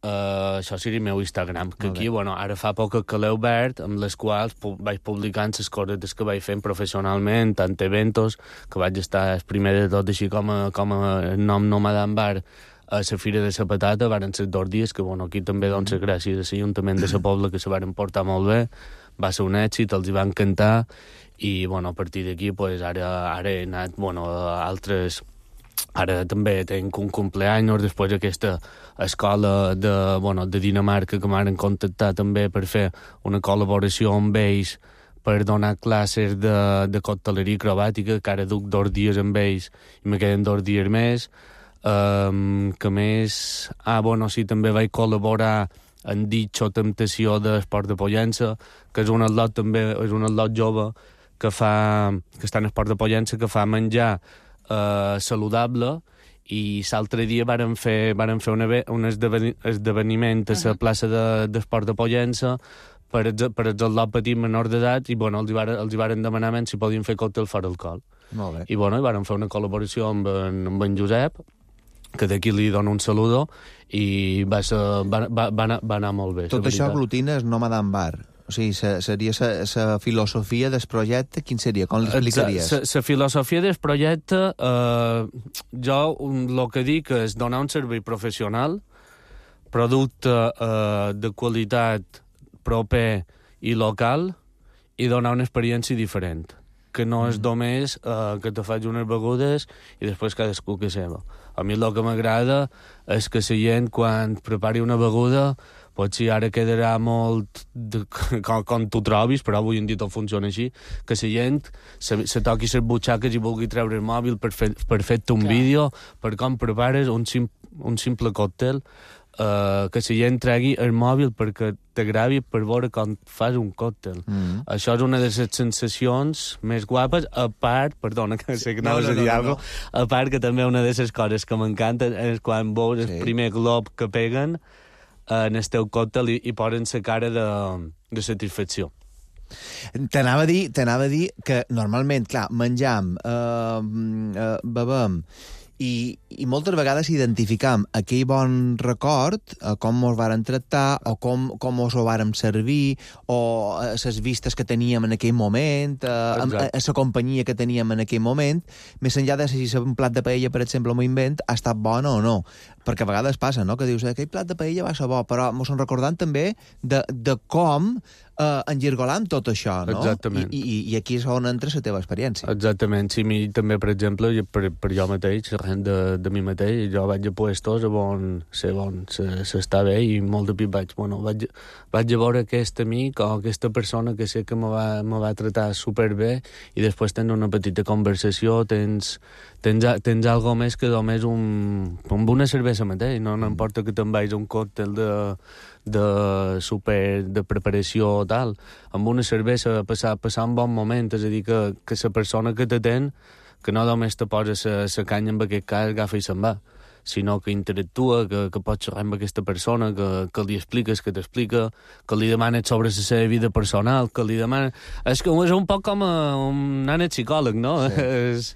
Uh, això seria el meu Instagram, que aquí, bueno, ara fa poc que l'he obert, amb les quals pu vaig publicant les coses que vaig fent professionalment, tant eventos, que vaig estar el primer de tot, així com a, com a nom Nomadan Bar, a la Fira de la Patata, varen ser dos dies, que, bueno, aquí també, doncs, gràcies a l'Ajuntament de la Pobla, que se varen portar molt bé, va ser un èxit, els hi van cantar, i, bueno, a partir d'aquí, pues, ara, ara he anat, bueno, a altres... Ara també tenc un cumpleaños, després aquesta escola de, bueno, de Dinamarca que m'han contactat també per fer una col·laboració amb ells per donar classes de, de cocteleria acrobàtica, que ara duc dos dies amb ells i me queden dos dies més. Um, que més... Ah, bueno, sí, també vaig col·laborar en Ditxo Temptació d'Esport de Pollença, que és un atlot també, és un atlot jove que fa, que està en Esport de Pollença, que fa menjar Uh, saludable, i l'altre dia varen fer, varen fer un, un esdeveni esdeveniment a la plaça d'Esport de, de Pollença per, per els atlot petit menor d'edat, i, bueno, els hi, varen, els hi varen demanar si podien fer còctel fora alcohol. Molt bé. I, bueno, i varen fer una col·laboració amb en, amb en Josep, que d'aquí li dono un saludo, i va, ser, va, va, va, anar, va anar molt bé. Tot això aglutina és Nomadan Bar. O sigui, seria la filosofia del projecte, quin seria? Com l'explicaries? La filosofia del projecte, eh, jo el que dic és donar un servei professional, producte eh, de qualitat proper i local, i donar una experiència diferent, que no és només eh, que te faig unes begudes i després cadascú que seva. A mi el que m'agrada és que la gent, quan prepari una beguda, potser ara quedarà molt de, com, com tu trobis, però avui en dia tot funciona així, que la gent se, se toqui les butxaques i vulgui treure el mòbil per fer-te fer un Clar. vídeo per com prepares un, sim, un simple còctel. Uh, que la gent tregui el mòbil perquè t'agravi per veure com fas un còctel. Mm. Això és una de les sensacions més guapes, a part, perdona, que sé que no, no, no, no, no, no. a part que també una de les coses que m'encanta és quan veus sí. el primer glob que peguen en el teu còctel i, i posen la cara de, de satisfacció. T'anava a dir, t'anava a dir que normalment, clar, menjam, eh, eh, bebem, I, i moltes vegades identificam aquell bon record, eh, com ens varen tractar, o com, com ens ho vàrem servir, o les vistes que teníem en aquell moment, eh, a la companyia que teníem en aquell moment, més enllà de si un plat de paella, per exemple, m'ho invent, ha estat bon o no. Perquè a vegades passa, no?, que dius, aquell plat de paella va ser bo, però mos en recordant també de, de com eh, enllergolam tot això, no? Exactament. I, i, i aquí és on entra la teva experiència. Exactament. Sí, mi, també, per exemple, per, per jo mateix, de, de mi mateix, jo vaig a puestos on sé on s'està bé i molt de pit vaig, bueno, vaig, vaig a veure aquest amic o aquesta persona que sé que me va, me va tratar superbé i després tens una petita conversació, tens, tens, tens algo més que només un, amb una cervesa mateix, no, no importa que te'n vagis un còctel de, de super, de preparació o tal, amb una cervesa passar, passar un bon moment, és a dir, que, que la persona que t'atén que no només te posa la canya en aquest cas, agafa i se'n va, sinó que interactua, que, que pots xerrar amb aquesta persona, que, que li expliques, que t'explica, que li demanes sobre la seva vida personal, que li demanes... És, que és un poc com a un ànet psicòleg, no? Sí. És...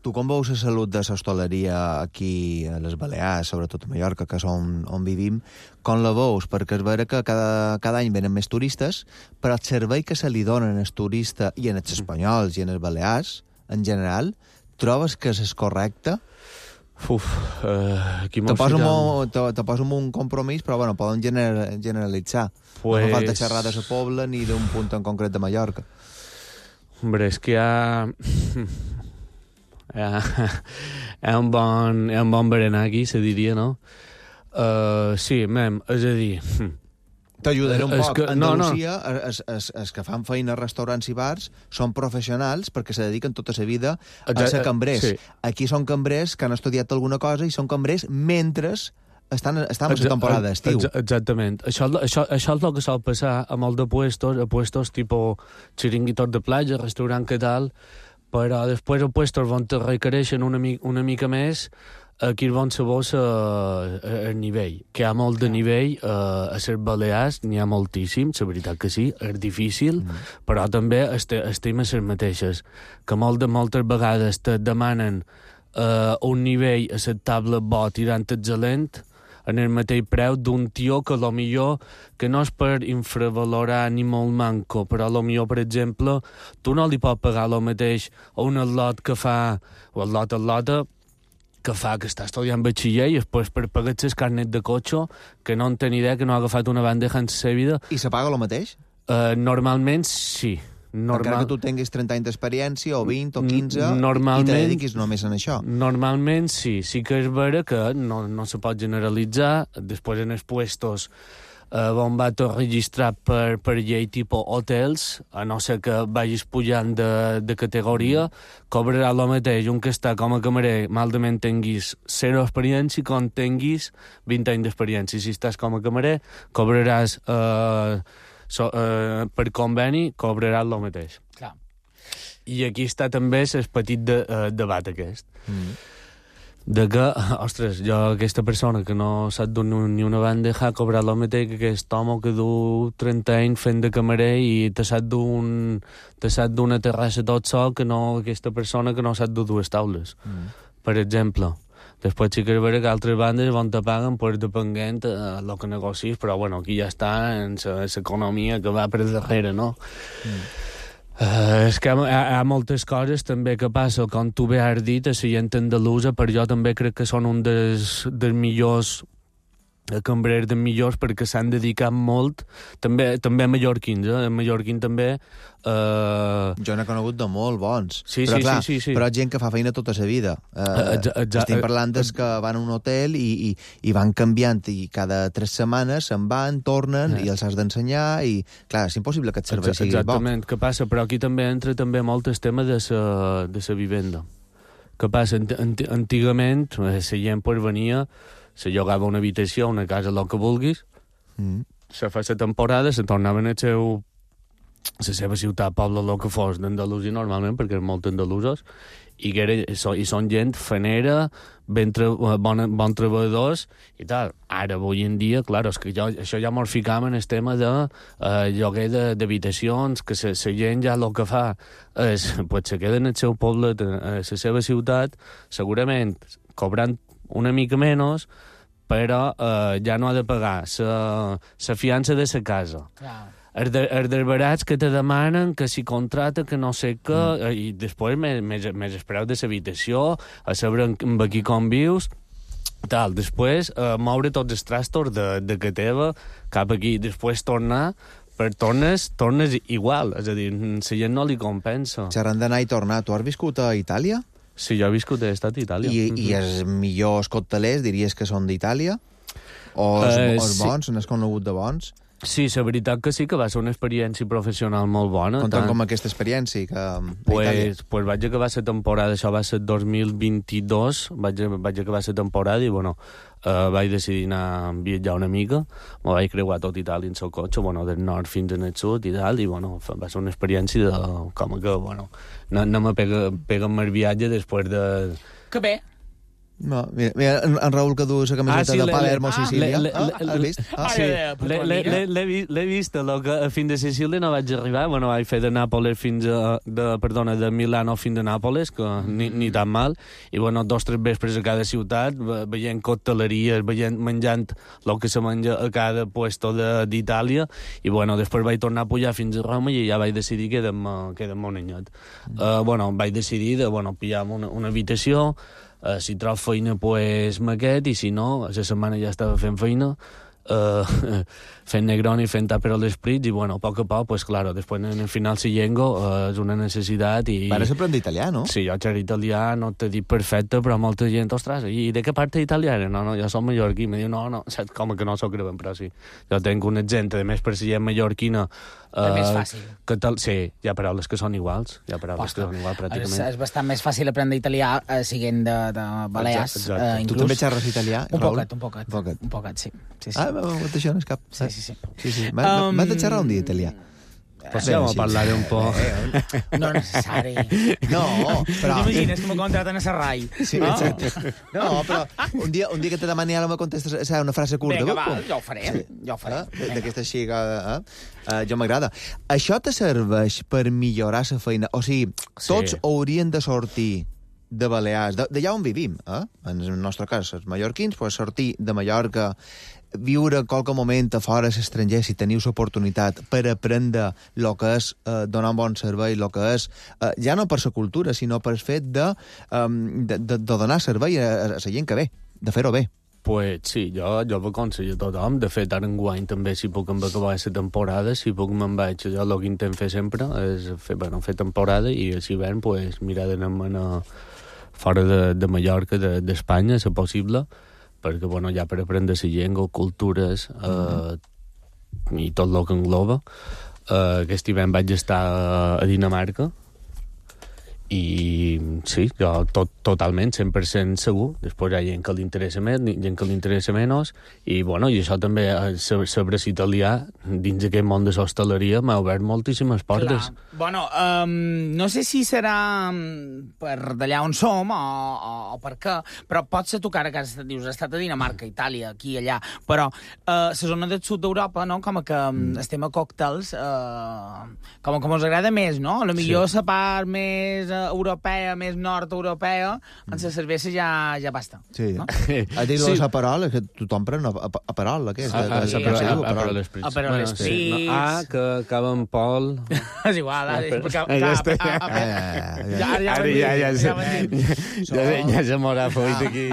Tu com veus la salut de l'hostaleria aquí a les Balears, sobretot a Mallorca, que és on, on vivim, com la veus? Perquè és vera que cada, cada any venen més turistes, però el servei que se li donen als turistes, i en els espanyols i en els balears, en general, trobes que és correcte? Uf, uh, aquí te poso, molt, te, te poso un compromís, però bueno, poden gener, generalitzar. Pues... No fa falta xerrar de la Pobla ni d'un punt en concret de Mallorca. Hombre, és que hi ha... hi ha, hi ha un bon, hi ha un bon berenar aquí, se diria, no? Uh, sí, mem, és a dir... T'ajudaré un poc. Que, Andalusia, no, no. Els, els, els que fan feina a restaurants i bars són professionals perquè se dediquen tota la vida a ser cambrers. Sí. Aquí són cambrers que han estudiat alguna cosa i són cambrers mentre estan, estan en la temporada d'estiu. Exactament. Això, això, això és el que sol passar a molt de puestos, a puestos tipus xiringuitos de platja, restaurant que tal, però després a puestos on te requereixen una, una mica més, aquí van saber el nivell, que hi ha molt de nivell, eh, a les Balears n'hi ha moltíssim, la veritat que sí, és difícil, mm. però també estem a les mateixes, que molt de moltes vegades te demanen eh, un nivell acceptable bo tirant excel·lent en el mateix preu d'un tio que a lo millor, que no és per infravalorar ni molt manco, però a lo millor, per exemple, tu no li pots pagar el mateix a un atlot que fa, o atlot atlota, que fa que està estudiant batxiller i després per pagar el carnet de cotxe, que no en té ni idea, que no ha agafat una bandeja en la seva vida. I se paga el mateix? Uh, normalment sí. Normal... Encara que tu tinguis trenta anys d'experiència, o vint, o quinze, normalment, i te dediquis només en això. Normalment sí. Sí que és vera que no, no se pot generalitzar. Després en els puestos Uh, on va tot registrat per, per llei tipus hotels, a no ser que vagis pujant de, de categoria, cobrarà el mateix un que està com a camarer, malament tinguis zero experiència, com tinguis vint anys d'experiència. Si estàs com a camarer, cobraràs uh, so, uh, per conveni, cobraràs el mateix. Clar. I aquí està també el petit de, uh, debat aquest. Mm. De que, ostres, jo aquesta persona que no sap dur ni una bandeja ha cobrat el mateix que aquest home que du trenta anys fent de camarer i te sap d'un te sap d'una terrassa tot sol que no aquesta persona que no sap dur dues taules, mm. per exemple. Després sí que és vera que altres bandes on te paguen per depenent a el que negocis, però bueno, aquí ja està en l'economia que va per darrere, no? Mm. Uh, és que hi ha, hi ha moltes coses també que passa, com tu bé has dit, a la gent andalusa, per jo també crec que són un dels, dels millors cambrers dels millors perquè s'han dedicat molt, també, també mallorquins, eh? En mallorquin també... Uh... Jo n'he conegut de molt bons, sí, però sí, clar, sí, sí, sí. però gent que fa feina tota la vida. Uh, estem parlant des que van a un hotel i, i, i van canviant i cada tres setmanes se'n van, tornen eh. i els has d'ensenyar i, clar, és impossible que et servei sigui bo. Exactament, què passa? Però aquí també entra també molt el tema de sa, de sa vivenda. Què passa? Antigament, la gent pues, venia se llogava una habitació, una casa, el que vulguis, mm. se feia la temporada, se tornaven al seu la seva ciutat, poble, el que fos, d'Andalusia normalment, perquè eren molt andalusos, i, que era, i són gent fanera, ben tre, bon, bon treballadors i tal. Ara, avui en dia, clar, és que jo, això ja mos ficam en el tema de eh, lloguer d'habitacions, que la gent ja el que fa és, pues, se queda en el seu poble, a la seva ciutat, segurament cobrant una mica menys, però eh, ja no ha de pagar la fiança de la casa. Clar. Els de, els dels barats que te demanen que si contrata, que no sé què, mm. i després més, més, més el preu de l'habitació, a saber amb qui convius, tal. Després, eh, moure tots els trastos de, de que teva cap aquí. Després tornar, per tornes, tornes igual. És a dir, la gent no li compensa. Xerrant d'anar i tornar, tu has viscut a Itàlia? Sí, jo he viscut a estat a Itàlia. I, i els millors coctelers diries que són d'Itàlia? O els, uh, els bons, sí. N'has conegut de bons? Sí, la veritat que sí, que va ser una experiència professional molt bona. Conta'm tant... com aquesta experiència que a pues, Itàlia. Pues vaig acabar la temporada, això va ser dos mil vint-i-dos, vaig, vaig acabar la temporada i, bueno, eh, vaig decidir anar a viatjar una mica, me vaig creuar tot Itàlia en el cotxe, bueno, del nord fins al sud i tal, i, bueno, va ser una experiència de, com que, bueno, no, no me pega, pega el viatge després de... Que bé. No, mira, mira, en, en Raül que du la camiseta ah, sí, de Palermo, ah, Sicília. Le, le, ah, has vist? Ah, sí, l'he vist, que fins a Sicília no vaig arribar, bueno, vaig fer de Nàpoles fins a, de, perdona, de Milano fins a Nàpoles, que ni, ni tan mal, i, bueno, dos o tres vespres a cada ciutat, veient cocteleries, veient, menjant el que se menja a cada puesto d'Itàlia, i, bueno, després vaig tornar a pujar fins a Roma i ja vaig decidir que quedem, quedem un anyet. Mm. Uh, bueno, vaig decidir de, bueno, pillar una, una habitació. Uh, si trob feina, pues, maquet, i si no, a la setmana ja estava fent feina, uh, fent Negroni, fent Aperol Spritz, i, bueno, a poc a poc, pues, claro, després en el final si llego uh, és una necessitat i... Pares aprendre italià, no? Sí, jo xerro italià, no t'he dit perfecte, però molta gent, ostres, i de què part italiana? No, no, jo soc mallorquí, me diu, no, no, saps com que no soc greu, però sí. Jo tenc un exemple, a més, per si gent mallorquina, Uh, és més fàcil. Que tal, sí, hi ha paraules que són iguals, hi ha paraules Posta. que són iguals, pràcticament. És, és bastant més fàcil aprendre italià uh, siguent de, de Balears. Exacte, uh, tu també xerres italià, un Raül? poquet, un poquet, un poquet. Un poquet, sí. sí, sí. Ah, això no és cap. Sí, sí, sí. sí, sí. M'has um... de xerrar un dia italià. Pues ja sí, parlaré un poc. No necessari. No, però... T'imagines que m'ho contraten a Serrai. Sí, no. Exacte. No, però un dia, un dia que te demani ara me contestes o una frase curta. Vinga, va, jo ho faré. Sí. Jo ho faré. Eh? D'aquesta així que... Eh? Uh, jo m'agrada. Això te serveix per millorar la feina? O sigui, tots sí. haurien de sortir de Balears, d'allà on vivim, eh? En el nostre cas, els mallorquins, pues, sortir de Mallorca, viure qualque moment a fora a l'estranger, si teniu l'oportunitat, per aprendre el que és eh, donar un bon servei, el que és, eh, ja no per la cultura, sinó per el fet de, um, de, de, de donar servei a, a la gent que ve, de fer-ho bé. Pues sí, jo, jo ho aconsello a tothom. De fet, ara enguany també, si puc em acabar la temporada, si puc me'n vaig, jo el que intent fer sempre és fer, bueno, fer temporada i a l'hivern pues, mirar d'anar-me'n fora de, de Mallorca, d'Espanya, de, si possible, perquè, bueno, ja per aprendre la llengua, cultures eh, mm-hmm. i tot el que engloba. Eh, aquest hivern vaig estar a Dinamarca i sí, jo tot, totalment, cent per cent segur. Després hi ha gent que li interessa més, gent que li interessa menys, i, bueno, i això també, saber italià dins aquest món de l'hostaleria m'ha obert moltíssimes portes. Clar. Bueno, um, no sé si serà per d'allà on som o, o, o per què, però pot ser tu que ara que has, dius, has estat a Dinamarca, Itàlia, aquí i allà, però uh, la zona del sud d'Europa, no?, com que mm. el tema còctels, uh, com que ens agrada més, no? A lo millor la sí. part més europea, més nord-europea, mm. en la cervesa ja, ja basta. Sí. No? A dir sí. Aperol, que tothom pren Aperol, aquest. Ah, sí, Aperol Spritz. Aperol Spritz. Ah, que acaba en Pol. És igual, ja se m'haurà fet aquí.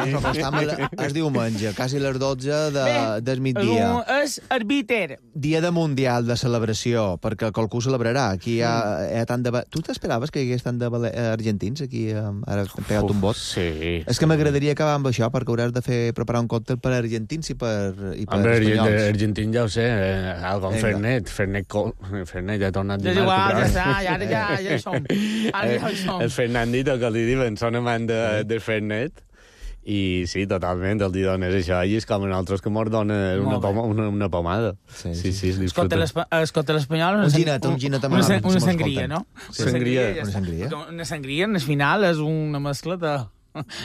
Es diumenge, quasi les dotze del migdia. És arbiter. Dia de Mundial de celebració, perquè qualcú celebrarà. Aquí hi ha tant de... Tu t'esperaves que hi hagués tant de argentins aquí? Ara hem pegat un vot. Sí. És que m'agradaria acabar amb això, perquè hauràs de fer preparar un còctel per argentins i per espanyols. Argentins ja ho sé, algo amb Fernet. Fernet ja ha tornat de marca. Ja està, ja, ja, ja hi som. Ara ja hi som. El Fernandito, que li diuen, són amant de, de Fernet. I sí, totalment, els dones això, i és com nosaltres que mos donen una, poma, una, una pomada. Sí, sí, sí, es Escolta l'espanyol... Un ginet, un ginet amb una, una sangria, no? Una sangria. Una sangria. Una sangria, en el final, és una mescla de...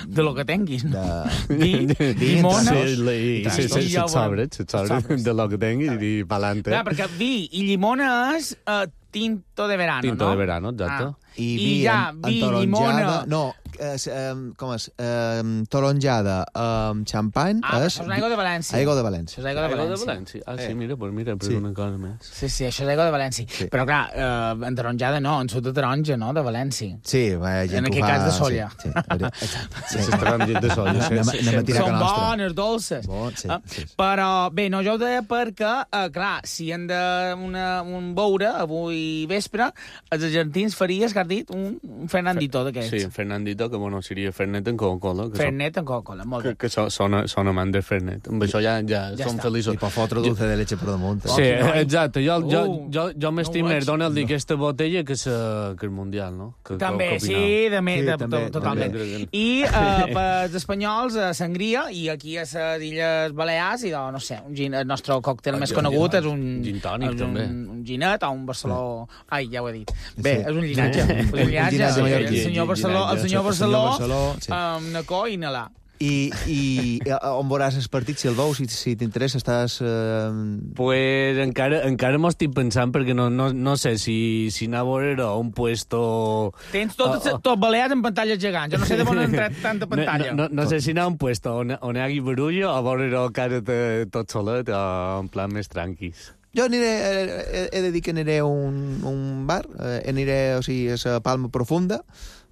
de lo que tinguis, no? De... Vi, llimona... Sí, sí, sí, set sobres, set sobres de lo que tinguis i pa'lante. Clar, perquè vi i llimona és uh, tinto de verano, tinto no? de verano, exacte. Ah. I, I ja, vi, llimona... No, és, um, com és? Um, taronjada amb xampany ah, és... això és aigua de València. Aigua de València. Això és aigua de Aigua València. de València. Ah, sí, Eh. mira, pues mira, però Sí. una cosa més. Sí, sí, això és aigua de València. Sí. Però clar, uh, en taronjada no, en sud de taronja, no?, de València. Sí, va, gent En que aquest ho fa... cas de solla. Sí, sí, Sí, s'estaran gent de solla. Anem, Sí, anem a tirar Són que nostra. bones, dolces. Bon, sí, Ah, sí. Però, bé, no, jo ho deia perquè, uh, clar, si hem de una, un beure avui vespre, els argentins faries, que has dit, un, un Fernandito d'aquests. Sí, Fernandito, que bueno, seria Fernet en Coca-Cola. Que Fernet amb Coca-Cola, molt Que, bé. que so, són, són amants de Fernet. Amb això ja, ja, Ja som està. feliços. I per fotre dulce de leche per damunt. Sí, quin noi. exacte. Jo, jo, Uh, jo, jo m'estim no ho més veig. Donald d'aquesta botella que, sa, que el Mundial, no? Que, També, que, que sí, de, me, Sí, de, també, to, totalment. també. I uh, pels espanyols, uh, sangria, i aquí a les Illes Balears, i, no sé, un gin, el nostre còctel més gin- conegut és un... gin tònic, és un, també. un ginet o un Barceló... Ai, ja ho he dit. Bé, Sí. és un llinatge. És un llinatge. llinatge el mallorquí. senyor Barceló, el senyor El Barceló, senyor Barceló, sí. amb Nacó i Nalà. I, i eh, on veuràs el partit, si el veus, si, si t'interessa, estàs... Eh... Pues encara, encara m'ho estic pensant perquè no, no, no sé si, si anar a veure a un puesto... Tens tot, Oh, oh. tot Balears en pantalles gegants. Jo no sé de on han entrat tanta pantalla. No, no, no sé si anar a un puesto on, on hi hagi barullo o veure cara de, tot solet o en plan més tranquis. Jo aniré, he, he de dir que aniré a un, un bar, eh, aniré, o sigui, a la Palma Profunda,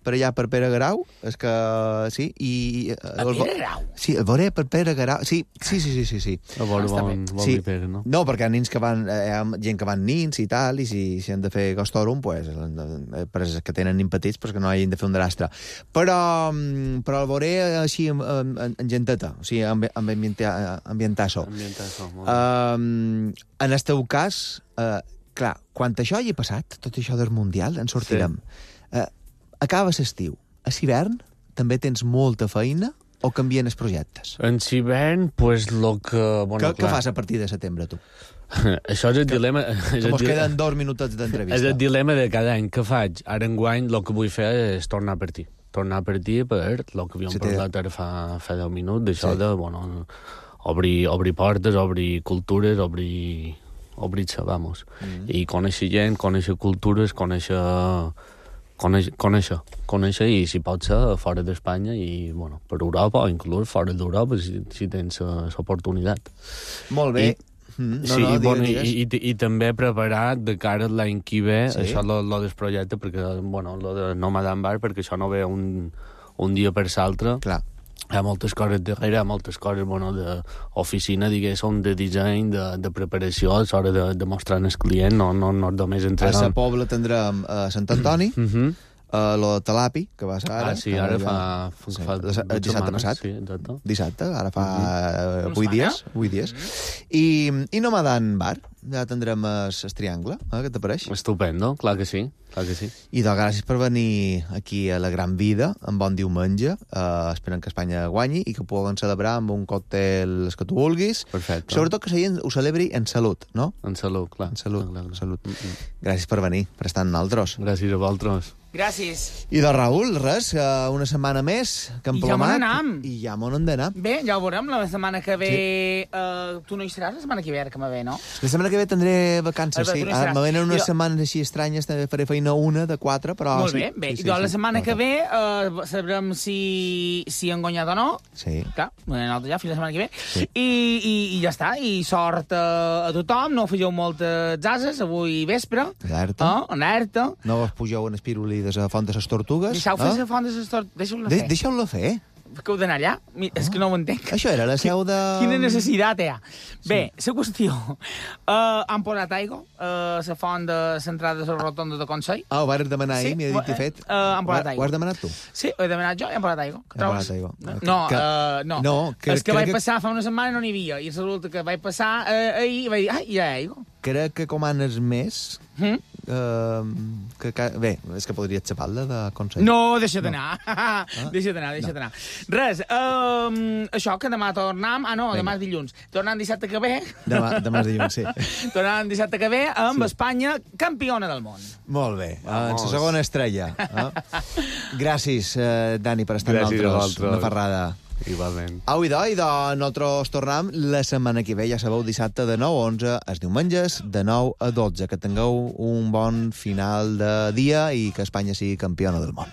per allà per Pere Garau, és que sí, i... A Pere Garau? Sí, el veuré per Pere Garau, sí, sí, sí, sí, sí. sí. A veure està bon, bon Sí. sí. Pere, no? No, perquè hi ha nins que van, eh, hi ha gent que van nins i tal, i si, si han de fer gostòrum, pues, eh, per els que tenen nins petits, pues que no hagin de fer un drastre. Però, mm, però el veuré així en, en, en genteta, o sigui, amb, amb ambienta, ambientasso. Ambientasso, molt bé. Um, en el teu cas, uh, clar, quan això hagi passat, tot això del Mundial, en sortirem. Sí. Uh, acaba l'estiu. A l'hivern també tens molta feina o canvien els projectes? En hivern, pues, lo que... Bueno, Què, què clar, fas a partir de setembre, tu? Això és el dilema... És Que el mos dile- queden dos minutets És d'entrevista. el dilema de cada any. Què faig? Ara enguany el que vull fer és tornar a partir. Tornar a partir per el que havíem Sí, té- parlat ara fa, fa deu minuts, d'això Sí. de, bueno, obrir, obrir portes, obrir cultures, obrir... obrir-se, vamos. Mm. I conèixer gent, conèixer cultures, conèixer... Conèixer, conèixer, conèixer i si pot ser fora d'Espanya i bueno, per Europa o inclús fora d'Europa si, si tens l'oportunitat. Molt bé. I- Mm, no, sí, no, i, digues, bueno, i, digues. i, i, i també preparar de cara a l'any que ve Sí. això lo, lo del projecte, perquè, bueno, lo de Nomadan Bar, perquè això no ve un, un dia per l'altre. Clar. Hi ha moltes coses darrere, hi ha moltes coses, bueno, d'oficina, diguéssim, de disseny, de, de preparació, a l'hora de, de mostrar al client, no, no, no només A entrenar. la Pobla tindrem a Sant Antoni, Uh -huh. a lo de Talapi, que va ser ara. Ah, sí, ara ja- fa... fa, sí, fa el dues dissabte setmanes, passat. Sí, exacte. Dissabte, ara fa uh Una vuit setmana. dies. vuit dies. I, i Nomadan Bar, ja tindrem el triangle, eh, què t'apareix? Estupendo, clar que sí, clar que sí. I doncs gràcies per venir aquí a la Gran Vida, en bon diumenge. Uh, esperem que Espanya guanyi i que puguem celebrar amb un còctel el que tu vulguis. Perfecte. Sobretot que la gent ho celebri en salut, no? En salut, clar. En salut, Clar, clar, en clar. salut. Mm, mm. Gràcies per venir, per estar amb nosaltres. Gràcies a vosaltres. Gràcies. I de Raül, res, uh, una setmana més que hem I ja plomat. me n'anam. I ja me n'hem d'anar. Bé, ja ho veurem la setmana que ve... Sí. Uh, tu no hi seràs la setmana que ve, ara que me ve, no? La setmana que ve tindré vacances, Ah, sí. tu no hi Ara seràs. me venen unes Jo- setmanes així estranyes, també faré feina una de quatre, però... Molt sí. bé, bé. Sí, I sí, doncs sí. la setmana No, que no. ve uh, sabrem si, si han guanyat o no. Sí. Clar, nosaltres ja fins la setmana que ve. Sí. I, i, I ja està. I sort a, a tothom. No fegeu moltes ases avui vespre. Alerta. Ah, alerta. No vos pugeu en espirulí de la font de les tortugues. Deixeu fer eh? la font de les tortugues. Deixeu-la De fer. Deixeu-la fer. Que heu d'anar allà? Mi- És que no ho entenc. Això era la seu de... Quina necessitat hi ha? Bé, la qüestió. Uh, han posat aigua a la font de l'entrada de la rotonda de Consell. Ah, ho vas demanar ahir, Sí, m'hi ha dit i eh, fet. eh, han posat Ho aigua. has demanat tu? Sí, ho he demanat jo i han posat aigua. Han posat aigua. No, Que- uh, no. no, que- És que crec vaig que- passar fa una setmana i no n'hi havia. I resulta que vaig passar uh, ahir i vaig dir, ai, hi ha aigua. Crec que comanes més Mm? Uh, que, que, bé, és que podries xapar-la de consell. No, deixa't anar. No. Ah? Deixa't anar, deixa't no. anar. Res, um, això que demà tornem... Ah, no, Venga. demà és dilluns. Tornem dissabte que ve... Demà, demà és dilluns, sí. Tornem dissabte que ve amb sí. Espanya campiona del món. Molt bé, en la segona estrella. Eh? Gràcies, eh, Dani, per estar amb nosaltres. Una ferrada. Igualment. Au, idò, idò, nosaltres tornem la setmana que ve, ja sabeu, dissabte de nou a onze, els diumenges de nou a dotze. Que tingueu un bon final de dia i que Espanya sigui campiona del món.